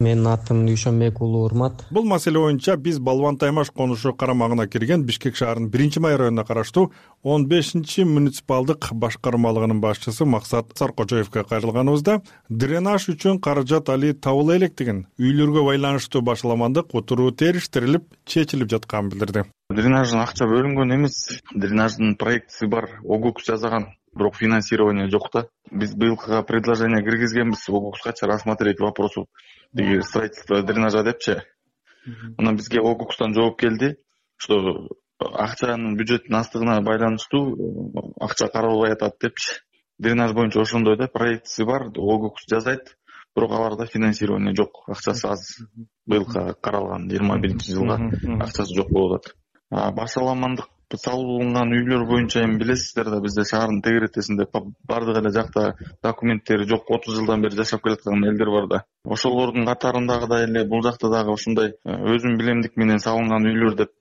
Менин атым Дүйшөнбек уулу Урмат. Бул маселе боюнча биз Балбан Таймаш конушу карамагына кирген Бишкек шаарынын биринчи май районуна караштуу он бешинчи муниципалдык башкармалыгынын башчысы Максат Саркожоевго кайрылганыбызда дренаж үчүн каражат али табыла электигин, үйлөргө байланыштуу башаламандык отуруу териштирилип, чечилип жатканын билдирди. Дренаждын акча бөлүнгөн эмес, дренаждын проектиси бар, ОГУКС жазаган, бирок финансирование жок да. Биз быйылкыга предложение киргизгенбиз, ОГУКСка рассмотреть вопросу деги строительство дренажа депчи. Анан бизге ОГУКСтан жооп келди, что акчанын бюджеттин астыгына байланыштуу акча каралбай атат депчи. Дренаж боюнча ошондой да, проектиси бар, ОГУКС жазайт, бирок аларда финансирование жок, акчасы аз. Быйылкы каралган жыйырма биринчи жылга акчасы жок болуп атат. Башаламандык салынган үйлөр боюнча эми билесиздер да, бизде шаардын тегеретесинде бардык эле жакта документтери жок, отуз жылдан бери жашап келаткан элдер бар да. Ошолордун катарындагыдай эле бул жакта дагы ошондой өзүм билемдик менен салынган үйлөр деп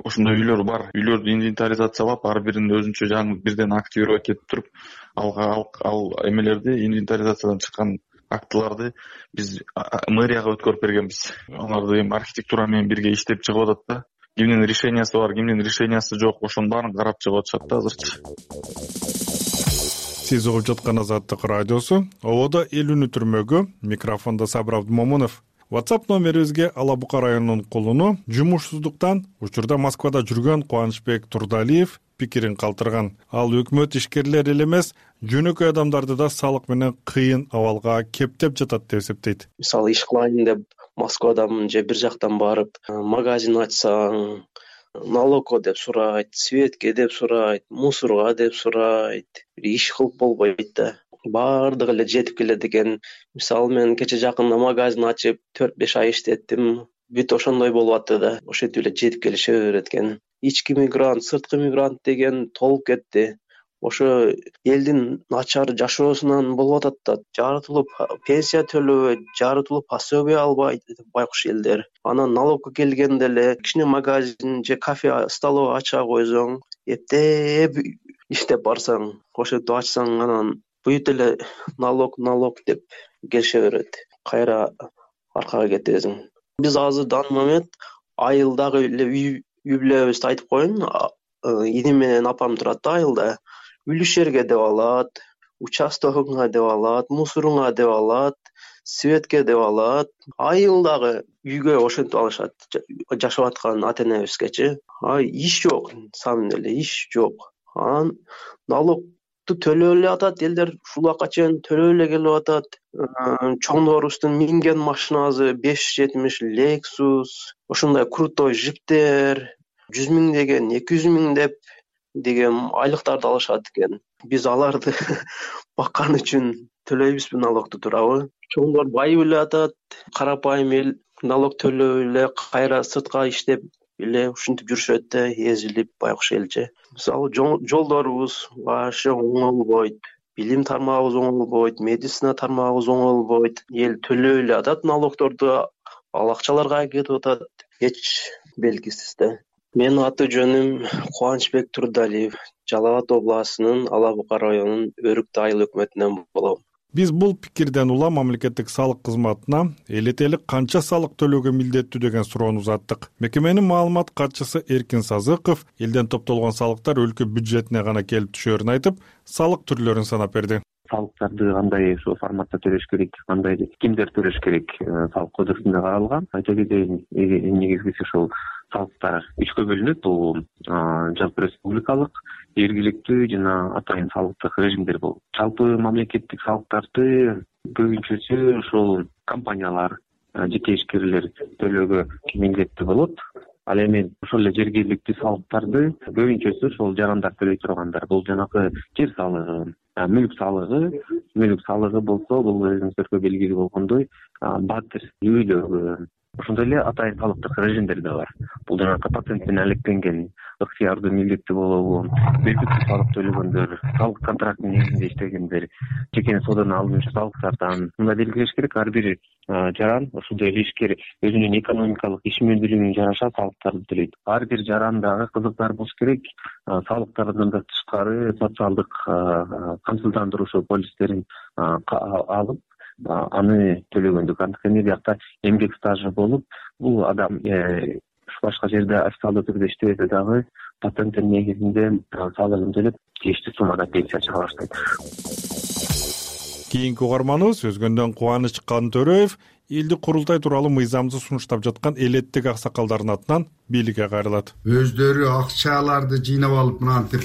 ошондой үйлөр бар. Үйлөрдү инвентаризациялап, ар бирин өзүнчө жаңы бирден активировать этип туруп, ал ал эмелерди, инвентаризациядан чыккан актыларды биз мэрияга өткөрүп бергенбиз. Аларды эми архитектура менен бирге иштеп чыгып атат да. Кимдин решениясы бар, кимдин решениясы жок, ошонун баарын карап чыгып атышат да азырчы. Сиз угуп жаткан Азаттык радиосу. Ободо элүүнү түрмөгө, микрофондо Сабыр Абдымомунов. WhatsApp номерибизге Ала Бука районунун кулуну жумушсуздуктан учурда Москвада жүргөн Кубанычбек Турдалиев пикирин калтырган. Ал өкмөт ишкерлери эле эмес, жөнөкөй адамдарды да салык менен кыйын абалга кептеп жатат деп эсептейт. Мисалы иш кылайын деп Москвадан же бир жактан барып, магазин ачсаң, налогко деп сурайт, светке деп сурайт, мусорга деп сурайт. Иш кылып болбойт да. Бардыгы эле жетип келет экен. Мисалы мен кече жакында магазин ачып төрт беш ай иштеттим. Бүт ошондой болуп атты да. Ошентип эле жетип келише берет экен. Ички мигрант, сырткы мигрант деген толуп кетти. Ошо элдин начар жашоосунан болуп атат да. Жарытылып пенсия төлөбөйт, жарытылып пособие албайт байкуш элдер. Анан налогко келгенде эле кичине магазин же кафе, столовый ача койсоң, эптеп иштеп барсаң, ошентип ачсаң, анан бүт эле налог, налог деп келише берет. Кайра аркага кетесиң. Биз азыр данный момент айылдагы эле үй бүлөбүздү айтып коеюн. Иним менен апам турат да айылда. Үлүшерге деп алат, участогуңа деп алат, мусоруңа деп алат, светке деп алат. Айылдагы үйгө ошентип алышат, жашап аткан ата энебизгечи. Ай, иш жок, самын эле иш жок. Анан налогду төлөп эле атат элдер, ушул убакка чейин төлөп эле келип атат. Чоңдорубуздун минген машинасы беш жетимиш Lexus, ошондой крутой жиптер, жүз миң деген, эки жүз миң деп деген айлыктарды алышат экен. Биз аларды баккан үчүн төлөйбүзбү налогду туурабы? Чоңдор байып эле атат, карапайым эл налог төлөп эле кайра сыртка иштеп эле ушинтип жүрүшөт да, эзилип байкуш элчи. Мисалы жолдорубуз башы оңолбойт, билим тармагыбыз оңолбойт, медицина тармагыбыз оңолбойт. Эл төлөп эле атат налогдорду, ал акчаларга кетип атат, эч белгисиз да. Менин аты жөнүм Кубанычбек Турдалиев, Жалал Абад областынын Ала Бука районунун Өрүктү айыл өкмөтүнөн болом. Биз бул пикирден улам мамлекеттик салык кызматына элетелик канча салык төлөөгө милдеттүү деген суроону узаттык. Мекеменин маалымат катчысы Эркин Сазыков элден топтолгон салыктар өлкө бюджетине гана келип түшөрүн айтып, салык түрлөрүн санап берди. Салыктарды кандай ошо форматта төлөш керек, кандай кимдер төлөш керек, салык кодексинде каралган. Айта кетейин, негизгиси ошол салыктар үчкө бөлүнөт. Бул жалпы республикалык, жергиликтүү жана атайын салыктык режимдер болот. Жалпы мамлекеттик салыктарды көбүнчөсү ошол компаниялар, жеке ишкерлер төлөөгө милдеттүү болот. Ал эми ошол эле жергиликтүү салыктарды көбүнчөсү ошол жарандар төлөй тургандар. Бул жанагы жер салыгы, мүлк салыгы, мүлк салыгы болсо, бул өзүңүздөргө белгилүү болгондой, батир, үйлөргө, ошондой эле атайын салыктык режимдер да бар. Бул жанагы патент менен алектенген, ыктыярдуу милдеттүү болобу, белгисиз салык төлөгөндөр, салык контрактынын негизинде иштегендер, жеке соодадан алынуучу салыктардан мындай белгилеш керек. Ар бир жаран, ошондой эле ишкер өзүнүн экономикалык ишмердүүлүгүнө жараша салыктарды төлөйт. Ар бир жарандагы кызыктар болуш керек, салыктардан да тышкары социалдык камсыздандыруу полистерин алып, аны төлөгөндүк. Анткени биякта эмгек стажы болуп, бул адам башка жерде официалдуу түрдө иштебесе дагы патенттин негизинде салыгын төлөп тийиштүү суммада пенсия чыга баштайт. Кийинки угарманыбыз Өзгөндөн Кубаныч Кантөрөев элдик курултай тууралуу мыйзамды сунуштап жаткан элеттик аксакалдардын атынан бийликке кайрылат. Өздөрү акчаларды жыйнап алып мынантип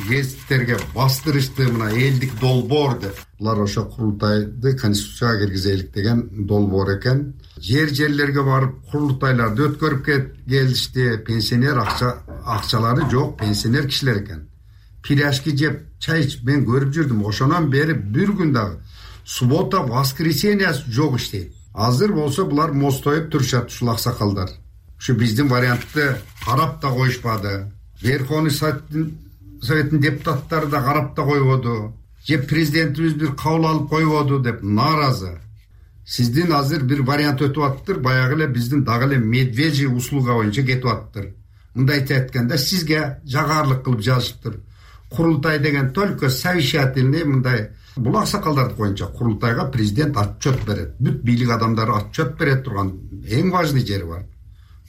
гезиттерге бастырышты, мына элдик долбоор деп. Булар ошо курултайды конституцияга киргизелик деген долбоор экен. Жер жерлерге барып курултайларды өткөрүп келишти. Пенсионер акча акчалары жок, пенсионер кишилер экен. Пиряшки жеп, чай ичип мен көрүп жүрдүм. Ошонон бери бир күн дагы суббота, воскресенье жок иштейт. Азыр болсо булар мостоюп турушат ушул аксакалдар. Ушу биздин вариантты карап да коюшпады. Верховный советтин депутаттары да карап да койбоду. Же президентибиз бир кабыл алып койбоду деп нааразы. Сиздин азыр бир вариант өтүп аттыр, баягы эле биздин дагы эле медвежий услуга боюнча кетип аттыр. Мындайча айтканда сизге жагарлык кылып жазышыптыр. Курултай деген только совещательный мындай. Бул аксакалдарды боюнча курултайга президент отчет берет. Бүт бийлик адамдары отчет берет турган эң важный жери бар.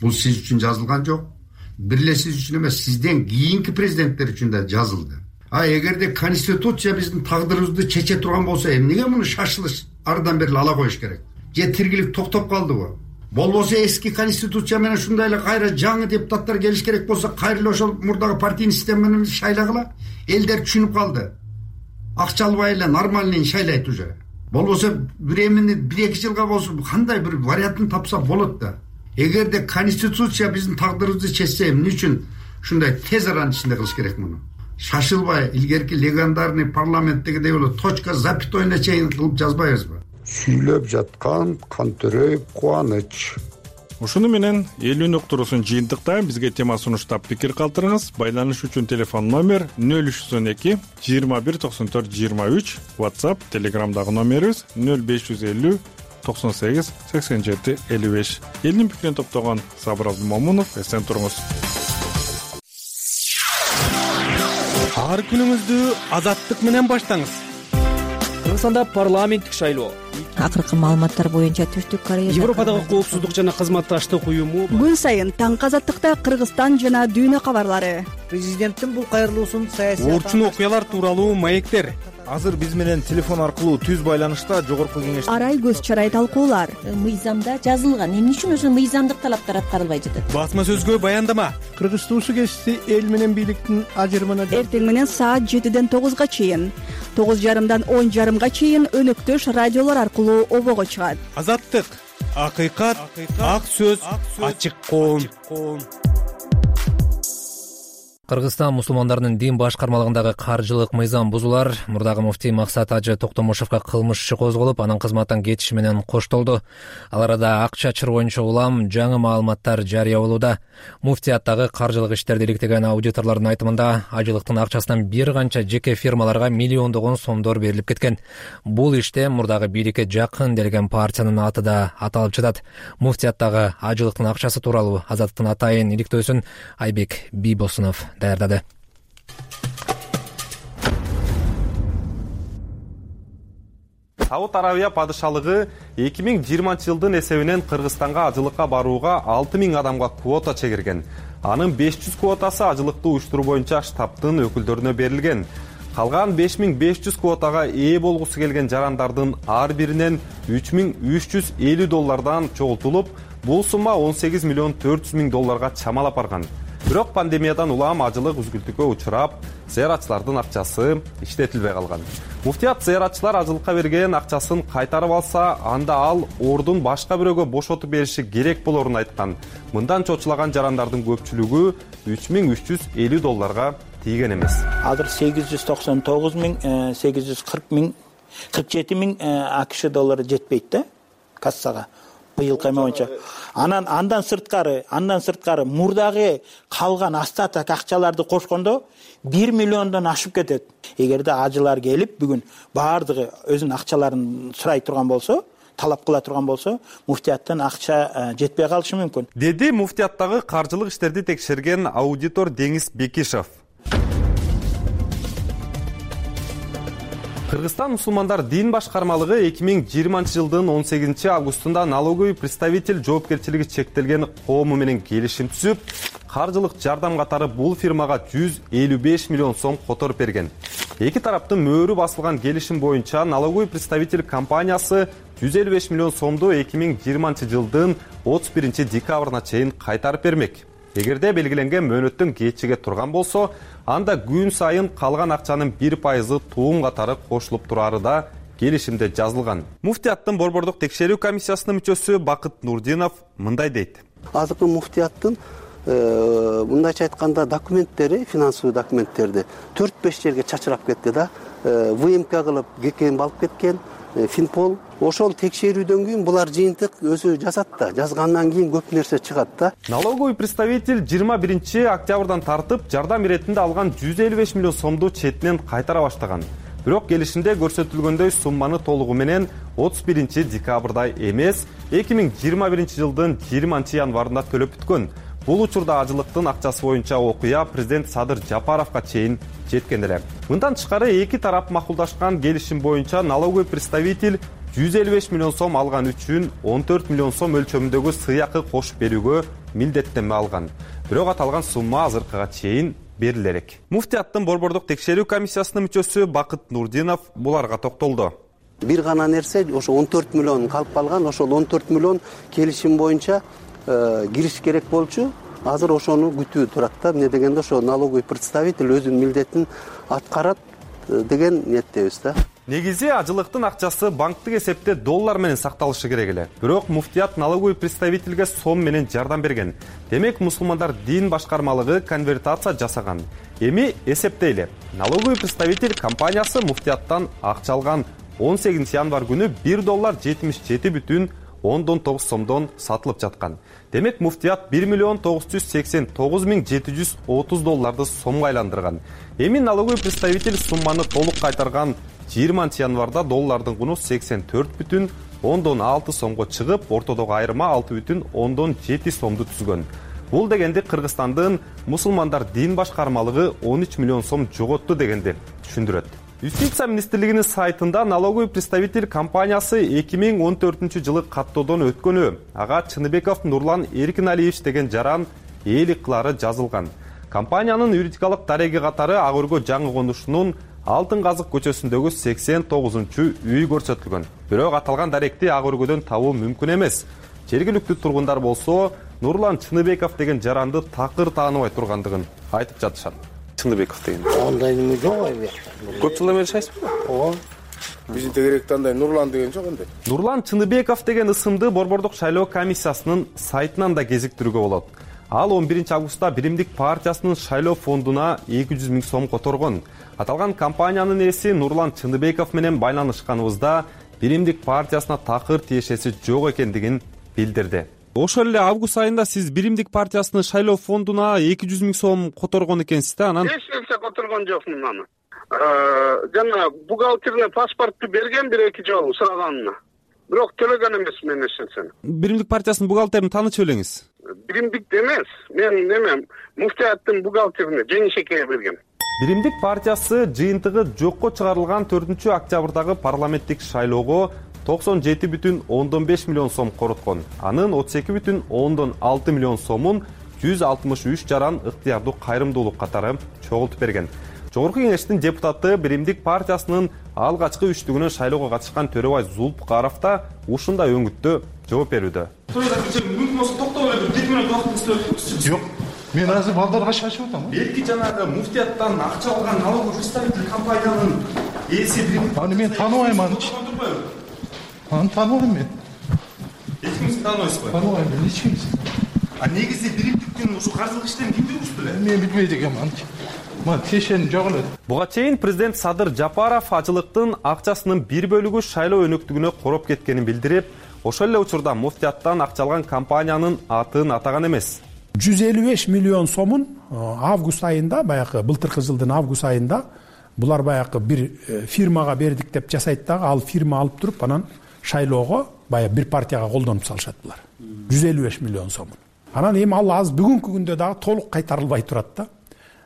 Бул сиз үчүн жазылган жок. Бир эле сиз үчүн эмес, сизден кийинки президенттер үчүн да жазылды. А эгерде конституция биздин тагдырыбызды чече турган болсо, эмнеге муну шашылыш ардан бери ала коюш керек? Же тиргилик токтоп калдыбы? Болбосо эски конституция менен ушундай эле кайра жаңы депутаттар келиш керек болсо, кайра эле ошол мурдагы партийный система менен шайлагыла. Элдер түшүнүп калды. Акча албай эле нормальный шайлайт уже. Болбосо времени бир эки жылга болсо кандай бир вариантын тапса болот да. Эгерде конституция биздин тагдырыбызды чечсе, эмне үчүн ушундай тез аранын ичинде кылыш керек муну? Шашылбай, илгерки легендарный парламенттегидей эле точка запятойна чейин кылып жазбайбызбы? Сүйлөп жаткан Кантөрөев Кубаныч. Ушуну менен элүү уктуруусун жыйынтыктайм. Бизге тема сунуштап пикир калтырыңыз. Байланыш үчүн телефон номер нөл үч жүз он эки жыйырма бир токсон төрт жыйырма үч, WhatsApp, Telegramдагы номерибиз нөл беш жүз элүү токсон сегиз сексен жети элүү беш. Элдин пикирин топтогон Сабыр Абдымомунов, эсен туруңуз. Ар күнүңүздү азаттык менен баштаңыз. Кыргызстанда парламенттик шайлоо. Акыркы маалыматтар боюнча Түштүк Корея Европадагы коопсуздук жана кызматташтык уюму күн сайын таңкы азаттыкта Кыргызстан жана дүйнө кабарлары. Президенттин бул кайрылуусун саясий орчун окуялар тууралуу маектер. Азыр биз менен телефон аркылуу түз байланышта жогорку кеңеш арай көз чарай талкуулар. Мыйзамда жазылган, эмне үчүн ошо мыйзамдык талаптар аткарылбай жатат? Басма сөзгө баяндама. Кыргыз туусу кесиси эл менен бийликтин ажырымына эртең менен саат жетиден тогузга чейин, тогуз жарымдан он жарымга чейин өнөктөш радиолор аркылуу обого чыгат. Азаттык, акыйкат, ак сөз, ачык коом. Кыргызстан мусулмандарынын дин башкармалыгындагы каржылык мыйзам бузулар. Мурдагы муфтий Максат Ажы Токтомушевго кылмыш иши козголуп, анын кызматтан кетиши менен коштолду. Ал арада акча чыр боюнча улам жаңы маалыматтар жарыя болууда. Муфтияттагы каржылык иштерди иликтеген аудиторлордун айтымында, ажылыктын акчасынан бир канча жеке фирмаларга миллиондогон сомдор берилип кеткен. Бул иште мурдагы бийликке жакын делген партиянын аты да аталып жатат. Муфтияттагы ажылыктын акчасы тууралуу Азаттыктын атайын иликтөөсүн Айбек Бийбосунов даярдады. Сауд Арабия падышалыгы эки миң жыйырманчы жылдын эсебинен Кыргызстанга ажылыкка барууга алты миң адамга квота чегирген. Анын беш жүз квотасы ажылыкты уюштуруу боюнча штабтын өкүлдөрүнө берилген. Калган беш миң беш жүз квотага ээ болгусу келген жарандардын ар биринен үч миң үч жүз элүү доллардан чогултулуп, бул сумма он сегиз миллион төрт жүз миң долларга чамалап барган. Бирок пандемиядан улам ажылык үзгүлтүккө учурап, зыяратчылардын акчасы иштетилбей калган. Муфтият зыяратчылар ажылыкка берген акчасын кайтарып алса, анда ал ордун башка бирөөгө бошотуп бериши керек болорун айткан. Мындан чочулаган жарандардын көпчүлүгү үч миң үч жүз элүү долларга тийген эмес. Азыр сегиз жүз токсон тогуз миң сегиз жүз кырк миң кырк жети миң АКШ доллары жетпейт да кассага. Быйыл кайма боюнча. Анан андан сырткары, андан сырткары мурдагы калган остаток акчаларды кошкондо бир миллиондон ашып кетет. Эгерде ажылар келип бүгүн баардыгы өзүнүн акчаларын сурай турган болсо, талап кыла турган болсо, муфтияттан акча жетпей калышы мүмкүн. Деди муфтияттагы каржылык иштерди текшерген аудитор Деңиз Бекишев. Кыргызстан мусулмандар дин башкармалыгы эки миң жыйырманчы жылдын он сегизинчи августунда налоговый представитель жоопкерчилиги чектелген коому менен келишим түзүп, каржылык жардам катары бул фирмага жүз элүү беш миллион сом которуп берген. Эки тараптын мөөрү басылган келишим боюнча налоговый представитель компаниясы жүз элүү беш миллион сомду эки миң жыйырманчы жылдын отуз биринчи декабрына чейин кайтарып бермек. Эгерде белгиленген мөөнөттөн кечиге турган болсо, анда күн сайын калган акчанын бир пайызы туум катары кошулуп турары да келишимде жазылган. Муфтияттын борбордук текшерүү комиссиясынын мүчөсү Бакыт Нурдинов мындай дейт. Азыркы муфтияттын мындайча айтканда документтери, финансовый документтерди төрт беш жерге чачырап кетти да, ВМК кылып ГКМ алып кеткен, Финпол. Ошол текшерүүдөн кийин булар жыйынтык өзү жазат да, жазгандан кийин көп нерсе чыгат да. Налоговый представитель жыйырма биринчи октябрдан тартып жардам иретинде алган жүз элүү беш миллион сомду четинен кайтара баштаган. Бирок келишимде көрсөтүлгөндөй сумманы толугу менен отуз биринчи декабрда эмес, эки миң жыйырма биринчи жылдын жыйырманчы январында төлөп бүткөн. Бул учурда ажылыктын акчасы боюнча окуя президент Садыр Жапаровго чейин жеткен эле. Мындан тышкары эки тарап макулдашкан келишим боюнча налоговый представитель жүз элүү беш миллион сом алган үчүн он төрт миллион сом өлчөмүндөгү сыйакы кошуп берүүгө милдеттенме алган. Бирок аталган сумма азыркыга чейин берилерек. Муфтияттын борбордук текшерүү комиссиясынын мүчөсү Бакыт Нурдинов буларга токтолду. Бир гана нерсе ошо он төрт миллион калып калган, ошол он төрт миллион келишим боюнча кириш керек болчу. Азыр ошону күтүү турат да. Эмне дегенде ошо налоговый представитель өзүнүн милдетин аткарат деген ниеттебиз да. Негизи ажылыктын акчасы банктык эсепте доллар менен сакталышы керек эле. Бирок муфтият налоговый представительге сом менен жардам берген. Демек мусулмандар дин башкармалыгы конвертация жасаган. Эми эсептейли. Налоговый представитель компаниясы муфтияттан акча алган он сегизинчи январ күнү бир доллар жетимиш жети бүтүн ондон тогуз сомдон сатылып жаткан. Демек муфтият бир миллион тогуз жүз сексен тогуз миң жети жүз отуз долларды сомго айландырган. Эми налоговый представитель сумманы толук кайтарган жыйырманчы январда доллардын куну сексен төрт бүтүн ондон алты сомго чыгып, ортодогу айырма алты бүтүн ондон жети сомду түзгөн. Бул дегенди Кыргызстандын мусулмандар дин башкармалыгы он үч миллион сом жоготту дегенди түшүндүрөт. Юстиция министрлигинин сайтында налоговый представитель компаниясы эки миң он төртүнчү жылы каттоодон өткөнү, ага Чыныбеков Нурлан Эркиналиевич деген жаран ээлик кылары жазылган. Компаниянын юридикалык дареги катары Ак өргө жаңы конушунун Алтын казык көчөсүндөгү сексен тогузунчу үй көрсөтүлгөн. Бирок аталган даректи Ак өргөдөн табуу мүмкүн эмес. Жергиликтүү тургундар болсо Нурлан Чыныбеков деген жаранды такыр тааныбай тургандыгын айтып жатышат. Чыныбеков деген. Андай неме жок эми. Көп жылдан бери жашайсызбы? Ооба. Биздин тегеректе андай Нурлан деген жок энди. Нурлан Чыныбеков деген ысымды борбордук шайлоо комиссиясынын сайтынан да кезиктирүүгө болот. Ал он биринчи августта Биримдик партиясынын шайлоо фондуна эки жүз миң сом которгон. Аталган компаниянын ээси Нурлан Чыныбеков менен байланышканыбызда Биримдик партиясына такыр тиешеси жок экендигин билдирди. Ошол эле август айында сиз Биримдик партиясынын шайлоо фондуна эки жүз миң сом которгон экенсиз да, анан эч нерсе которгон жокмун аны. Жана бухгалтерине паспортту берген бир эки жолу сураганына. Бирок төлөгөн эмесмин эч нерсени. Биримдик партиясынын бухгалтерин таанычып элеңиз. Биримдик эмес, мен неме муфтияттын бухгалтерине Жеңишекеге берген. Биримдик партиясы жыйынтыгы жокко чыгарылган төртүнчү октябрдагы парламенттик шайлоого токсон жети бүтүн ондон беш миллион сом короткон. Анын отуз эки бүтүн ондон алты миллион сомун жүз алтымыш үч жаран ыктыярдуу кайрымдуулук катары чогултуп берген. Жогорку кеңештин депутаты Биримдик партиясынын алгачкы үчтүгүнөн шайлоого катышкан Төрөбай Зулпукаров да ушундай өңүттө жооп берүүдө. Мүмкүн болсо токтоп эле бир минут убакыт издеп. Жок. Мен азыр балдарга шашып атам. Белки жанагы муфтияттан акча алган налоговый представитель компаниянын ээси Биримдик. Аны мен тааныбайм аны. Аны тааныбайм мен. Эч кимди тааныбайсызбы? Тааныбайм мен эч кимди. А негизи Биримдиктин ушу каржылык иштерин ким жүргүздү эле? Мен билбейт экенмин аны. Мына тиешени жок эле. Буга чейин президент Садыр Жапаров ажылыктын акчасынын бир бөлүгү шайлоо өнөктүгүнө короп кеткенин билдирип, ошол эле учурда муфтияттан акча алган компаниянын атын атаган эмес. жүз элүү беш миллион сомун август айында, баягы былтыркы жылдын август айында булар баягы бир фирмага бердик деп жасайт дагы, ал фирма алып туруп анан шайлоого баягы бир партияга колдонуп салышат булар. жүз элүү беш миллион сомун. Анан эми ал азыр бүгүнкү күндө дагы толук кайтарылбай турат да.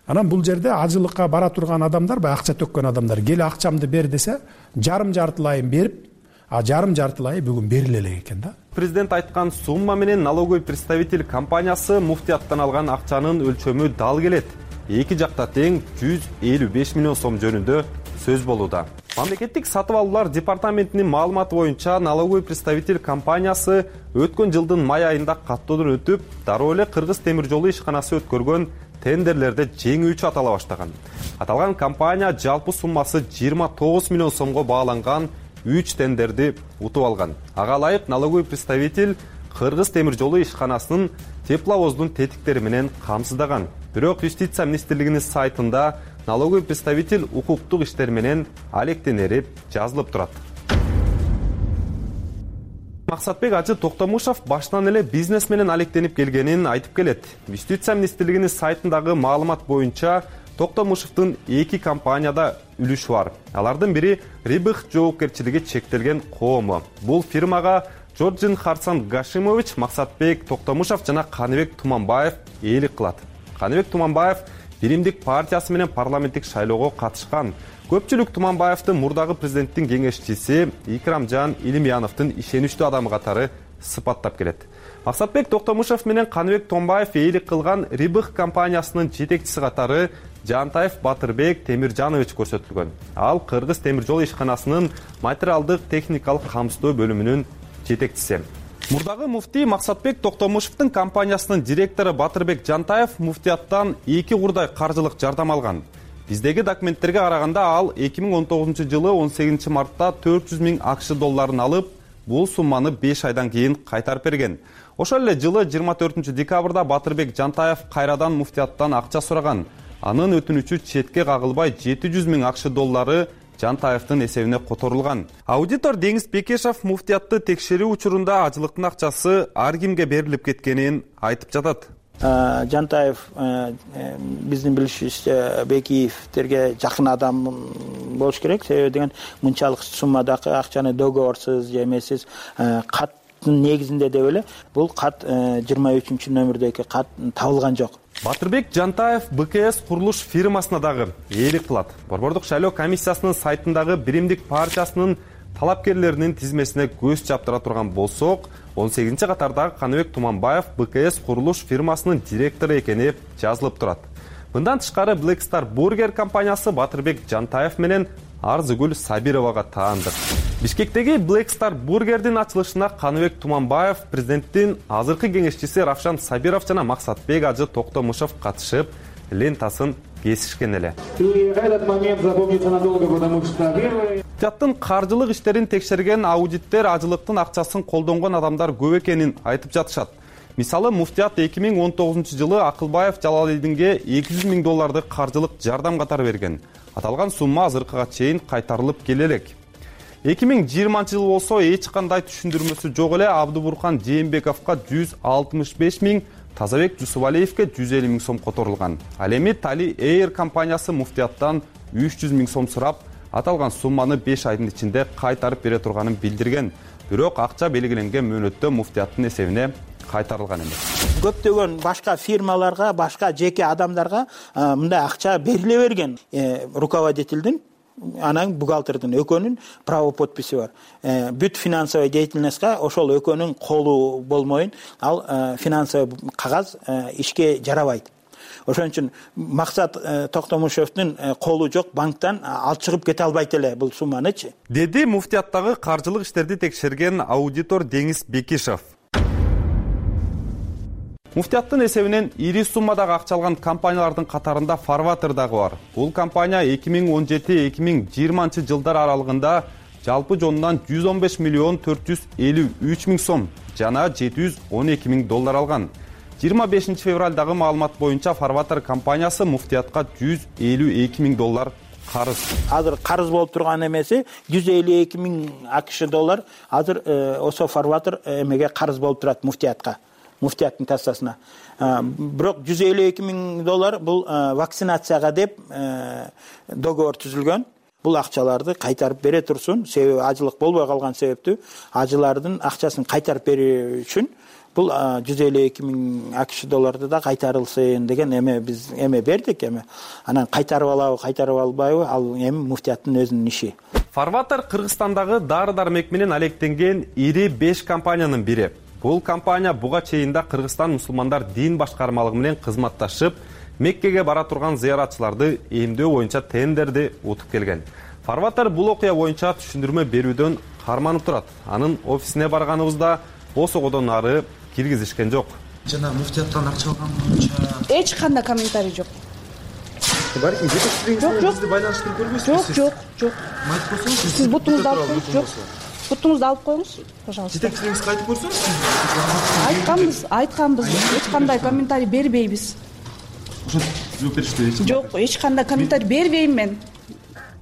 Анан бул жерде ажылыкка бара турган адамдар, баягы акча төккөн адамдар келе акчамды бер десе, жарым жартылайын берип, а жарым жартылайы бүгүн бериле элек экен да. Президент айткан сумма менен налоговый представитель компаниясы муфтияттан алган акчанын өлчөмү дал келет. Эки жакта тең жүз элүү беш миллион сом жөнүндө сөз болууда. Мамлекеттик сатып алуулар департаментинин маалыматы боюнча налоговый представитель компаниясы өткөн жылдын май айында каттоодон өтүп, дароо эле Кыргыз темир жолу ишканасы өткөргөн тендерлерде жеңүүчү атала баштаган. Аталган компания жалпы суммасы жыйырма тогуз миллион сомго бааланган үч тендерди утуп алган. Ага ылайык налоговый представитель Кыргыз темир жолу ишканасынын тепловоздун тетиктери менен камсыздаган. Бирок Юстиция министрлигинин сайтында налоговый представитель укуктук иштер менен алектенери жазылып турат. Максатбек Ажы Токтомушов баштан эле бизнес менен алектенип келгенин айтып келет. Юстиция министрлигинин сайтындагы маалымат боюнча Токтомушовдун эки компанияда үлүшү бар. Алардын бири Рибых жоопкерчилиги чектелген коому. Бул фирмага Жоржин Харсан Гашимович, Максатбек Токтомушов жана Каныбек Туманбаев ээлик кылат. Каныбек Туманбаев Биримдик партиясы менен парламенттик шайлоого катышкан. Көпчүлүк Туманбаевдин мурдагы президенттин кеңешчиси Икрамжан Илимяновдун ишеничтүү адамы катары сыпаттап келет. Максатбек Токтомушов менен Каныбек Томбаев ээлик кылган Рибых компаниясынын жетекчиси катары Жантаев Батырбек Темиржанович көрсөтүлгөн. Ал Кыргыз темир жол ишканасынын материалдык техникалык камсыздоо бөлүмүнүн жетекчиси. Мурдагы муфтий Максатбек Токтомушевдин компаниясынын директору Батырбек Жантаев муфтияттан эки курдай каржылык жардам алган. Биздеги документтерге караганда ал эки миң он тогузунчу жылы он сегизинчи мартта төрт жүз миң акш долларын алып, бул сумманы беш айдан кийин кайтарып берген. Ошол эле жылы жыйырма төртүнчү декабрда Батырбек Жантаев кайрадан муфтияттан акча сураган. Анын өтүнүчү четке кагылбай жети жүз миң акш доллары Жантаевдин эсебине которулган. Аудитор Деңиз Бекешев муфтиятты текшерүү учурунда ажылыктын акчасы ар кимге берилип кеткенин айтып жатат. Жантаев биздин билишибизче Бекиевтерге жакын адам болуш керек. Себеби деген мынчалык суммадагы акчаны договорсуз же эмесиз каттын негизинде деп эле бул кат жыйырма үчүнчү номердеги кат табылган жок. Батырбек Жантаев БКС курулуш фирмасына дагы ээлик кылат. Борбордук шайлоо комиссиясынын сайтындагы Биримдик партиясынын талапкерлеринин тизмесине көз чаптыра турган болсок, он сегизинчи катардагы Каныбек Туманбаев БКС курулуш фирмасынын директору экени жазылып турат. Мындан тышкары Black Star Burger компаниясы Батырбек Жантаев менен Арзыгүл Сабировага таандык. Бишкектеги Black Star Burger'дин ачылышына Каныбек Туманбаев, президенттин азыркы кеңешчиси Равшан Сабиров жана Максатбек Ажы Токтомушов катышып, лентасын кесишкен эле. Муфтияттын каржылык иштерин текшерген аудиттер ажылыктын акчасын колдонгон адамдар көп экенин айтып жатышат. Мисалы, муфтият эки миң он тогузунчу жылы Акылбаев Жалалидинге эки жүз миң долларды каржылык жардам катары берген. Аталган сумма азыркыга чейин кайтарылып келе элек. эки миң жыйырманчы жыл болсо эч кандай түшүндүрмөсү жок эле Абдыбуркан Жээнбековго жүз алтымыш беш миң, Тазабек Жусубалиевге жүз элүү миң сом которулган. Ал эми Tali Air компаниясы муфтияттан үч жүз миң сом сурап, аталган сумманы беш айдын ичинде кайтарып бере турганын билдирген. Бирок акча белгиленген мөөнөттө муфтияттын эсебине кайтарылган эмес. Көптөгөн башка фирмаларга, башка жеке адамдарга мындай акча бериле берген. Руководительдин, анан бухгалтердин экөөнүн право подписи бар. Бүт финансовый деятельностька ошол экөөнүн колу болмойун, ал финансовый кагаз ишке жарабайт. Ошон үчүн Максат Токтомушевдин колу жок банктан алып чыгып кете албайт эле бул сумманычы. Деди муфтияттагы каржылык иштерди текшерген аудитор Деңиз Бекишев. Муфтияттын эсебинен ири суммадагы акча алган компаниялардын катарында Farvater дагы бар. Бул компания эки миң он жети эки миң жыйырманчы жылдар аралыгында жалпы жонунан жүз он беш миллион төрт жүз элүү үч миң сом жана жети жүз он эки миң доллар алган. жыйырма бешинчи февралдагы маалымат боюнча Farvater компаниясы муфтиятка жүз элүү эки миң доллар карыз. Азыр карыз болуп турган эмеси жүз элүү эки миң акш доллар азыр ошо Farvater эмеге карыз болуп турат муфтиятка. Муфтияттын кассасына. Бирок жүз элүү эки миң доллар бул вакцинацияга деп договор түзүлгөн. Бул акчаларды кайтарып бере турсун. Себеби ажылык болбой калган себептүү ажылардын акчасын кайтарып берүү үчүн бул жүз элүү эки миң акш долларды да кайтарылсын деген эме биз эме бердик. Эме анан кайтарып алабы, кайтарып албайбы, ал эми муфтияттын өзүнүн иши. Фарватер Кыргызстандагы дары-дармек менен алектенген ири беш компаниянын бири. Бул компания буга чейин да Кыргызстан мусулмандар дин башкармалыгы менен кызматташып, Меккеге бара турган зыяратчыларды эмдөө боюнча тендерди утуп келген. Фарватер бул окуя боюнча түшүндүрмө берүүдөн карманып турат. Анын офисине барганыбызда осогодон ары киргизишкен жок. Жана муфтияттан акча алган боюнча эч кандай комментарий жок. Бар, жетекчилигиңиз менен бизди байланыштырып көрбөйсүзбү? Жок, жок, жок. Айтып койсоңуз, сиз бутуңузду алып коюңуз. Жок. Бутуңузду алып коюңуз, пожалуйста. Жетекчилигиңизге айтып көрсөңүз. Айтканбыз, айтканбыз. Эч кандай комментарий бербейбиз. Ошо жооп беришти. Жок, эч кандай комментарий бербейм мен.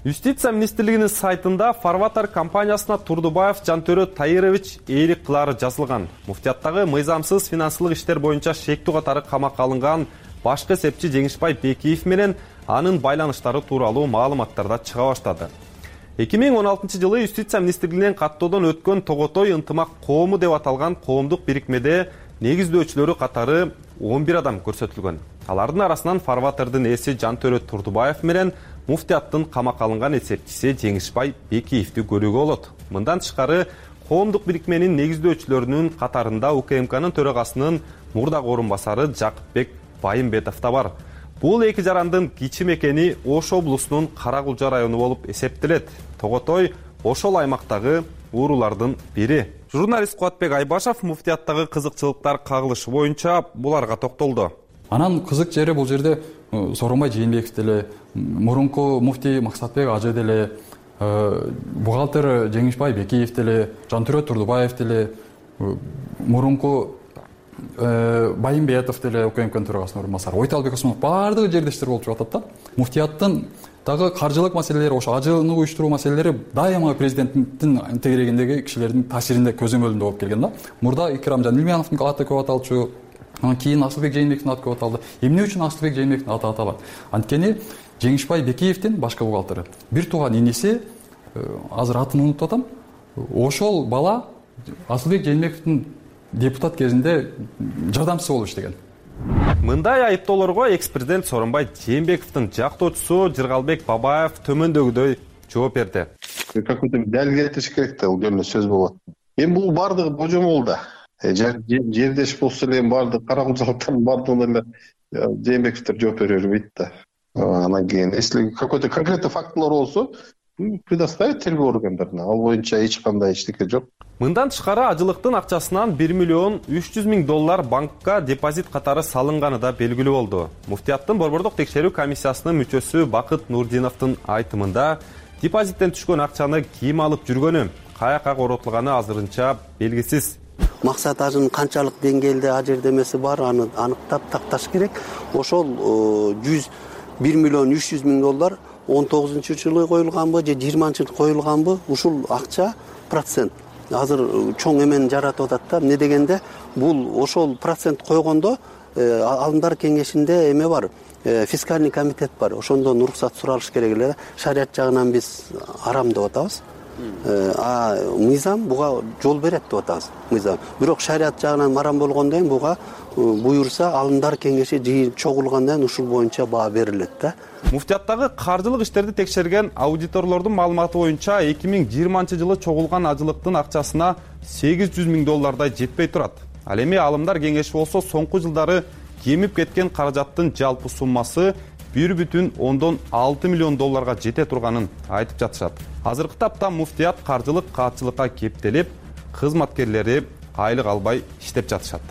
Юстиция министрлигинин сайтында Фарватер компаниясына Турдубаев Жантөрө Таирович ээлик кылары жазылган. Муфтияттагы мыйзамсыз финансылык иштер боюнча шектүү катары камакка алынган башкы эсепчи Жеңишбай Бекиев менен анын байланыштары тууралуу маалыматтар да чыга баштады. эки миң он алтынчы жылы Юстиция министрлигинен каттоодон өткөн Тоготой ынтымак коому деп аталган коомдук бирикмеде негиздөөчүлөрү катары он бир адам көрсөтүлгөн. Алардын арасынан Фарватердин ээси Жантөрө Турдубаев менен муфтияттын камакка алынган эсепчиси Жеңишбай Бекиевди көрүүгө болот. Мындан тышкары коомдук бирикменин негиздөөчүлөрүнүн катарында УКМКнын төрагасынын мурдагы орун басары Жакыпбек Байымбетов да бар. Бул эки жарандын кичи мекени Ош облусунун Каракулжа району болуп эсептелет. Тоготой ошол аймактагы уурулардын бири. Журналист Кубатбек Айбашев муфтияттагы кызыкчылыктар кагылышы боюнча буларга токтолду. Анан кызык жери бул жерде Сооронбай Жээнбеков деле, мурунку муфтий Максатбек Ажы деле, бухгалтер Жеңишбай Бекиев деле, Жантөрө Турдубаев деле, мурунку Байымбетов деле УКМКнын төрагасынын орун басары, Ойталбек Осмонов баардыгы жердештер болуп жатат да. Муфтияттын дагы каржылык маселелери, ошо ажыны уюштуруу маселелери дайыма президенттин тегерегиндеги кишилердин таасиринде көзөмөлүндө болуп келген да. Мурда Икрам Жанилмановдун аты көп аталчу, анан кийин Асылбек Жээнбековдун аты көп аталды. Эмне үчүн Асылбек Жээнбековдун аты аталат? Анткени Жеңишбай Бекиевдин башкы бухгалтери бир тууган иниси, азыр атын унутуп атам, ошол бала Асылбек Жээнбековдун депутат кезинде жардамчысы болуп иштеген. Мындай айыптоолорго экс-президент Сооронбай Жээнбековдун жактоочусу Жыргалбек Бабаев төмөндөгүдөй жооп берди. Какой-то далил кетиш керек да, бул жерде сөз болот. Эми бул бардыгы божомол да. Жердеш болсо эле бардыгы Каракулжалыктардын бардыгына эле Жээнбековдор жооп бере бербейт да. Анан кийин, если какой-то конкретный фактылар болсо, предоставить тергөө органдарына. Ал боюнча эч кандай эчтеке жок. Мындан тышкары ажылыктын акчасынан бир миллион үч жүз миң доллар банкка депозит катары салынганы да белгилүү болду. Муфтияттын борбордук текшерүү комиссиясынын мүчөсү Бакыт Нурдиновдун айтымында депозиттен түшкөн акчаны ким алып жүргөнү, каяка коротулганы азырынча белгисиз. Максат Ажынын канчалык деңгээлде ажырдемеси бар, аны аныктап такташ керек. Ошол жүз бир миллион үч жүз миң доллар он тогузунчу жылы коюлганбы же жыйырманчы жылы коюлганбы, ушул акча процент азыр чоң эмени жаратып атат да. Эмне дегенде бул ошол процент койгондо алымдар кеңешинде эме бар, фискальный комитет бар. Ошондон уруксат суралыш керек эле. Шарият жагынан биз арам деп атабыз. А мыйзам буга жол берет деп атабыз. Мыйзам. Бирок шарият жагынан марам болгондон кийин буга буюрса алымдар кеңеши жыйылып чогулгандан кийин ушул боюнча баа берилет да. Муфтияттагы каржылык иштерди текшерген аудиторлордун маалыматы боюнча эки миң жыйырманчы жылы чогулган ажылыктын акчасына сегиз жүз миң доллардай жетпей турат. Ал эми алымдар кеңеши болсо соңку жылдары кемип кеткен каражаттын жалпы суммасы бир бүтүн ондон алты миллион долларга жете турганын айтып жатышат. Азыркы тапта муфтият каржылык каатчылыкка кептелип, кызматкерлери айлык албай иштеп жатышат.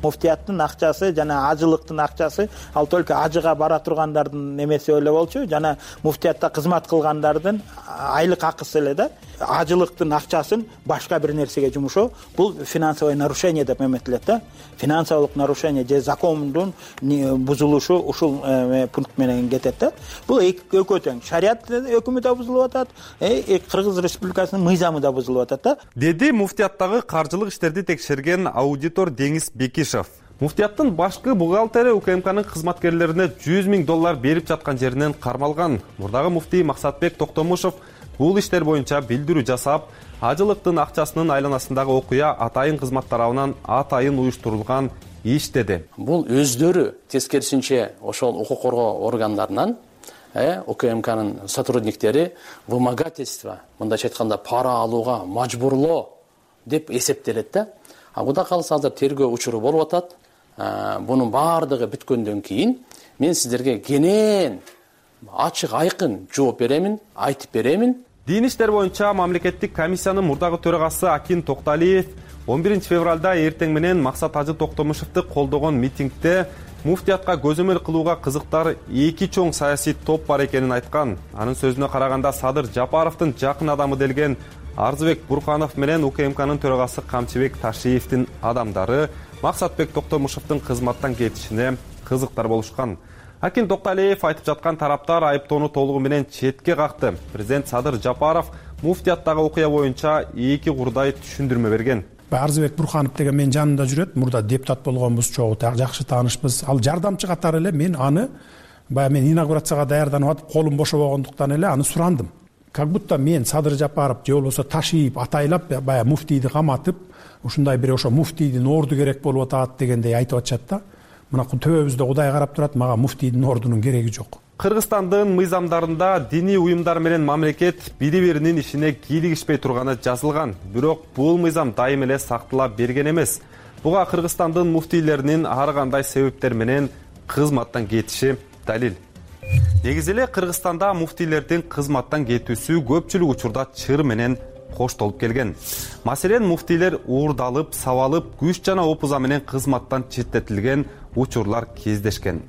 Муфтияттын акчасы жана ажылыктын акчасы ал только ажыга бара тургандардын немеси эле болчу, жана муфтиятта кызмат кылгандардын айлык акысы эле да. Ажылыктын акчасын башка бир нерсеге жумушоо бул финансовое нарушение деп эметилет да. Финансовых нарушение же закондун бузулушу ушул пункт менен кетет да. Бул экөө тең. Шарият өкүмү да бузулуп атат, Кыргыз Республикасынын мыйзамы да бузулуп атат да. Деди муфтияттагы каржылык иштерди текшерген аудитор Деңиз Бекишев. Муфтияттын башкы бухгалтери УКМКнын кызматкерлерине жүз миң доллар берип жаткан жеринен кармалган. Мурдагы муфтий Максатбек Токтомушев бул иштер боюнча билдирүү жасап, ажылыктын акчасынын айланасындагы окуя атайын кызмат тарабынан атайын уюштурулган иш деди. Бул өздөрү тескерисинче ошол укук коргоо органдарынан УКМКнын сотрудниктери вымогательство, мындайча айтканда пара алууга мажбурлоо деп эсептелет да. А кудай кааласа азыр тергөө учуру болуп атат. Бунун баардыгы бүткөндөн кийин мен сиздерге кенен ачык айкын жооп беремин, айтып беремин. Дин иштер боюнча мамлекеттик комиссиянын мурдагы төрагасы Акин Токталиев он биринчи февралда эртең менен Максат Ажы Токтомушевди колдогон митингде муфтиятка көзөмөл кылууга кызыктар эки чоң саясий топ бар экенин айткан. Анын сөзүнө караганда Садыр Жапаровдун жакын адамы делген Арзыбек Бурханов менен УКМКнын төрагасы Камчыбек Ташиевдин адамдары Максатбек Токтомушевдин кызматтан кетишине кызыктар болушкан. Акин Токталиев айтып жаткан тараптар айыптоону толугу менен четке какты. Президент Садыр Жапаров муфтияттагы окуя боюнча эки курдай түшүндүрмө берген. Арзыбек Бурханов деген менин жанымда жүрөт. Мурда депутат болгонбуз, чогуу жакшы таанышпыз. Ал жардамчы катары эле мен аны баягы мен инаугурацияга даярданып атып, колум бошобогондуктан эле аны сурандым. Как будто мен Садыр Жапаров же болбосо Ташиев атайлап баягы муфтийди каматып, ушундай бир ошо муфтийдин орду керек болуп атат дегендей айтып атышат да. Мына төбөбүздө Кудай карап турат, мага муфтийдин ордунун кереги жок. Кыргызстандын мыйзамдарында диний уюмдар менен мамлекет бири-биринин ишине кийлигишпей турганы жазылган. Бирок бул мыйзам дайым эле сактала берген эмес. Буга Кыргызстандын муфтийлеринин ар кандай себептер менен кызматтан кетиши далил. Негизи эле Кыргызстанда муфтийлердин кызматтан кетүүсү көпчүлүк учурда чыр менен коштолуп келген. Маселен, муфтийлер уурдалып, сабалып, күч жана опуза менен кызматтан четтетилген учурлар кездешкен.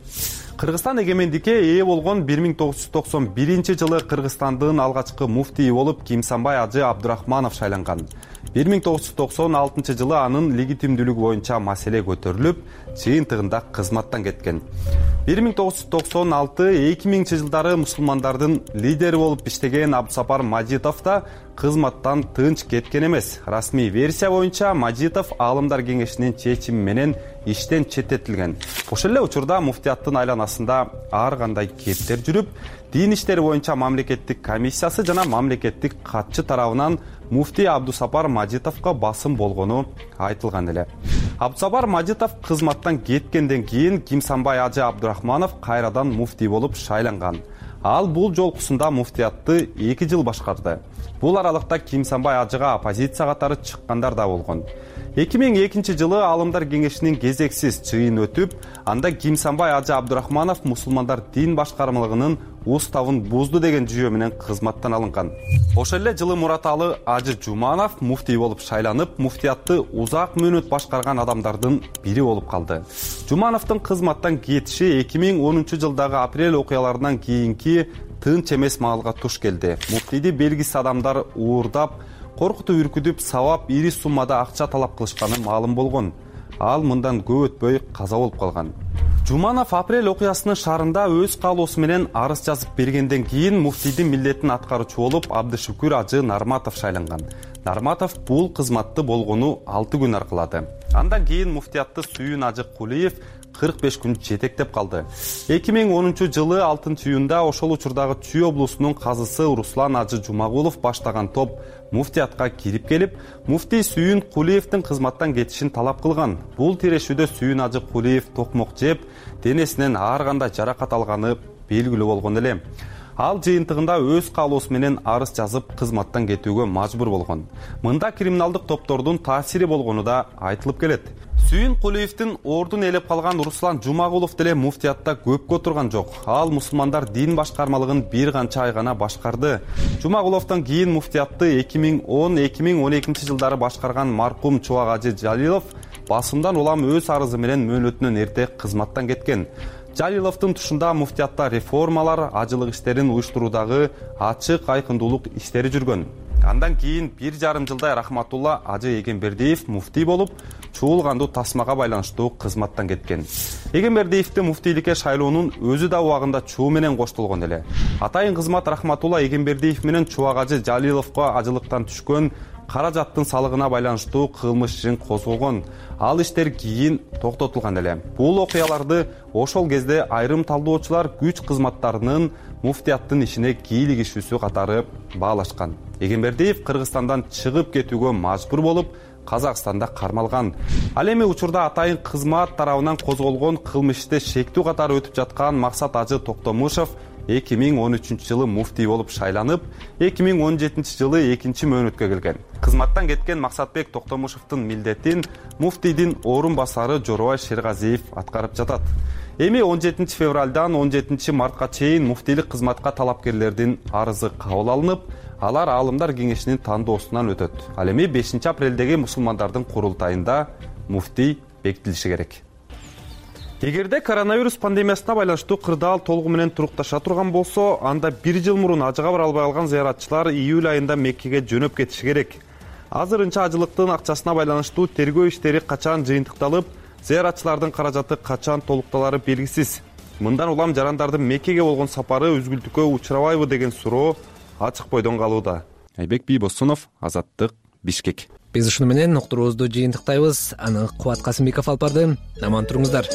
Кыргызстан эгемендикке ээ болгон бир миң тогуз жүз токсон биринчи жылы Кыргызстандын алгачкы муфтийи болуп Кимсанбай Ажы Абдурахманов шайланган. бир миң тогуз жүз токсон алтынчы жылы анын легитимдүүлүгү боюнча маселе көтөрүлүп, жыйынтыгында кызматтан кеткен. бир миң тогуз жүз токсон алты эки миңинчи жылдары мусулмандардын лидери болуп иштеген Абдусапар Мажитов да кызматтан тынч кеткен эмес. Расмий версия боюнча Мажитов Аалымдар кеңешинин чечими менен иштен четтетилген. Ошол эле учурда муфтияттын айланасында ар кандай кептер жүрүп, дин иштери боюнча мамлекеттик комиссиясы жана мамлекеттик катчы тарабынан муфтий Абдусапар Мажитовго басым болгону айтылган эле. Абдусапар Мажитов кызматтан кеткенден кийин Кимсанбай Ажы Абдурахманов кайрадан муфтий болуп шайланган. Ал бул жолкусунда муфтиятты эки жыл башкарды. Бул аралыкта Кимсанбай Ажыга оппозиция катары чыккандар да болгон. эки миң экинчи жылы Аалымдар кеңешинин кезексиз чыйын өтүп, анда Кимсанбай Ажы Абдурахманов мусулмандар дин башкармалыгынын уставын бузду деген жүйө менен кызматтан алынган. Ошол эле жылы Мураталы Ажы Жуманов муфтий болуп шайланып, муфтиятты узак мөөнөт башкарган адамдардын бири болуп калды. Жумановдун кызматтан кетиши эки миң онунчу жылдагы апрель окуяларынан кийинки тынч эмес маалга туш келди. Муфтийди белгисиз адамдар уурдап, коркутуп үркүтүп, сабап, ири суммада акча талап кылышканы маалым болгон. Ал мындан көп өтпөй каза болуп калган. Жуманов апрель окуясынын шаарында өз каалоосу менен арыз жазып бергенден кийин муфтийдин милдетин аткаруучу болуп Абдышүкүр Ажы Нарматов шайланган. Нарматов бул кызматты болгону алты күн аркылады. Андан кийин муфтиятты Сүйүн Ажы Кулиев кырк беш күн жетектеп калды. эки миң онунчу жылы алтынчы июнда ошол учурдагы Чүй облусунун казысы Руслан Ажы Жумагулов баштаган топ муфтиятка кирип келип, муфтий Сүйүн Кулиевдин кызматтан кетишин талап кылган. Бул тирешүүдө Сүйүн Ажы Кулиев токмок жеп, денесинен ар кандай жаракат алганы белгилүү болгон эле. Ал жыйынтыгында өз каалоосу менен арыз жазып кызматтан кетүүгө мажбур болгон. Мында криминалдык топтордун таасири болгону да айтылып келет. Сүйүн Кулиевдин ордун ээлеп калган Руслан Жумагулов деле муфтиятта көпкө турган жок. Ал мусулмандар дин башкармалыгын бир канча ай гана башкарды. Жумагуловдон кийин муфтиятты эки миң он эки миң он экинчи жылдары башкарган маркум Чубак Ажы Жалилов басымдан улам өз арызы менен мөөнөтүнөн эрте кызматтан кеткен. Жалиловдун тушунда муфтиятта реформалар, ажылык иштерин уюштуруудагы ачык айкындуулук иштери жүргөн. Андан кийин бир жарым жылдай Рахматулла Ажы Эгембердиев муфтий болуп, чуулгандуу тасмага байланыштуу кызматтан кеткен. Эгембердиевди муфтийликке шайлоонун өзү да убагында чуу менен коштолгон эле. Атайын кызмат Рахматулла Эгембердиев менен Чубак Ажы Жалиловго ажылыктан түшкөн каражаттын салыгына байланыштуу кылмыш ишин козголгон. Ал иштер кийин токтотулган эле. Бул окуяларды ошол кезде айрым талдоочулар күч кызматтарынын муфтияттын ишине кийлигишүүсү катары баалашкан. Эгембердиев Кыргызстандан чыгып кетүүгө мажбур болуп, Казакстанда кармалган. Ал эми учурда атайын кызмат тарабынан козголгон кылмышты шектүү катары өтүп жаткан Максат Ажы Токтомушев эки миң он үчүнчү жылы муфтий болуп шайланып, эки миң он жетинчи жылы экинчи мөөнөткө келген. Кызматтан кеткен Максатбек Токтомушевдин милдетин муфтийдин орун басары Жоробай Шергазиев аткарып жатат. Эми он жетинчи февралдан он жетинчи мартка чейин муфтийлик кызматка талапкерлердин арызы кабыл алынып, алар аалымдар кеңешинин тандоосунан өтөт. Ал эми бешинчи апрелдеги мусулмандардын курултайында муфтий бекитилиши керек. Эгерде коронавирус пандемиясына байланыштуу кырдаал толугу менен турукташа турган болсо, анда бир жыл мурун ажыга бара албай калган зыяратчылар июль айында Меккеге жөнөп кетиши керек. Азырынча ажылыктын акчасына байланыштуу тергөө иштери качан жыйынтыкталып, зыяратчылардын каражаты качан толукталары белгисиз. Мындан улам жарандардын Меккеге болгон сапары үзгүлтүккө учурабайбы деген суроо ачык бойдон калууда. Айбек Бийбосунов, Азаттык, Бишкек. Биз ушуну менен уктуруубузду жыйынтыктайбыз. Аны Кубат Касымбеков алып барды. Аман туруңуздар.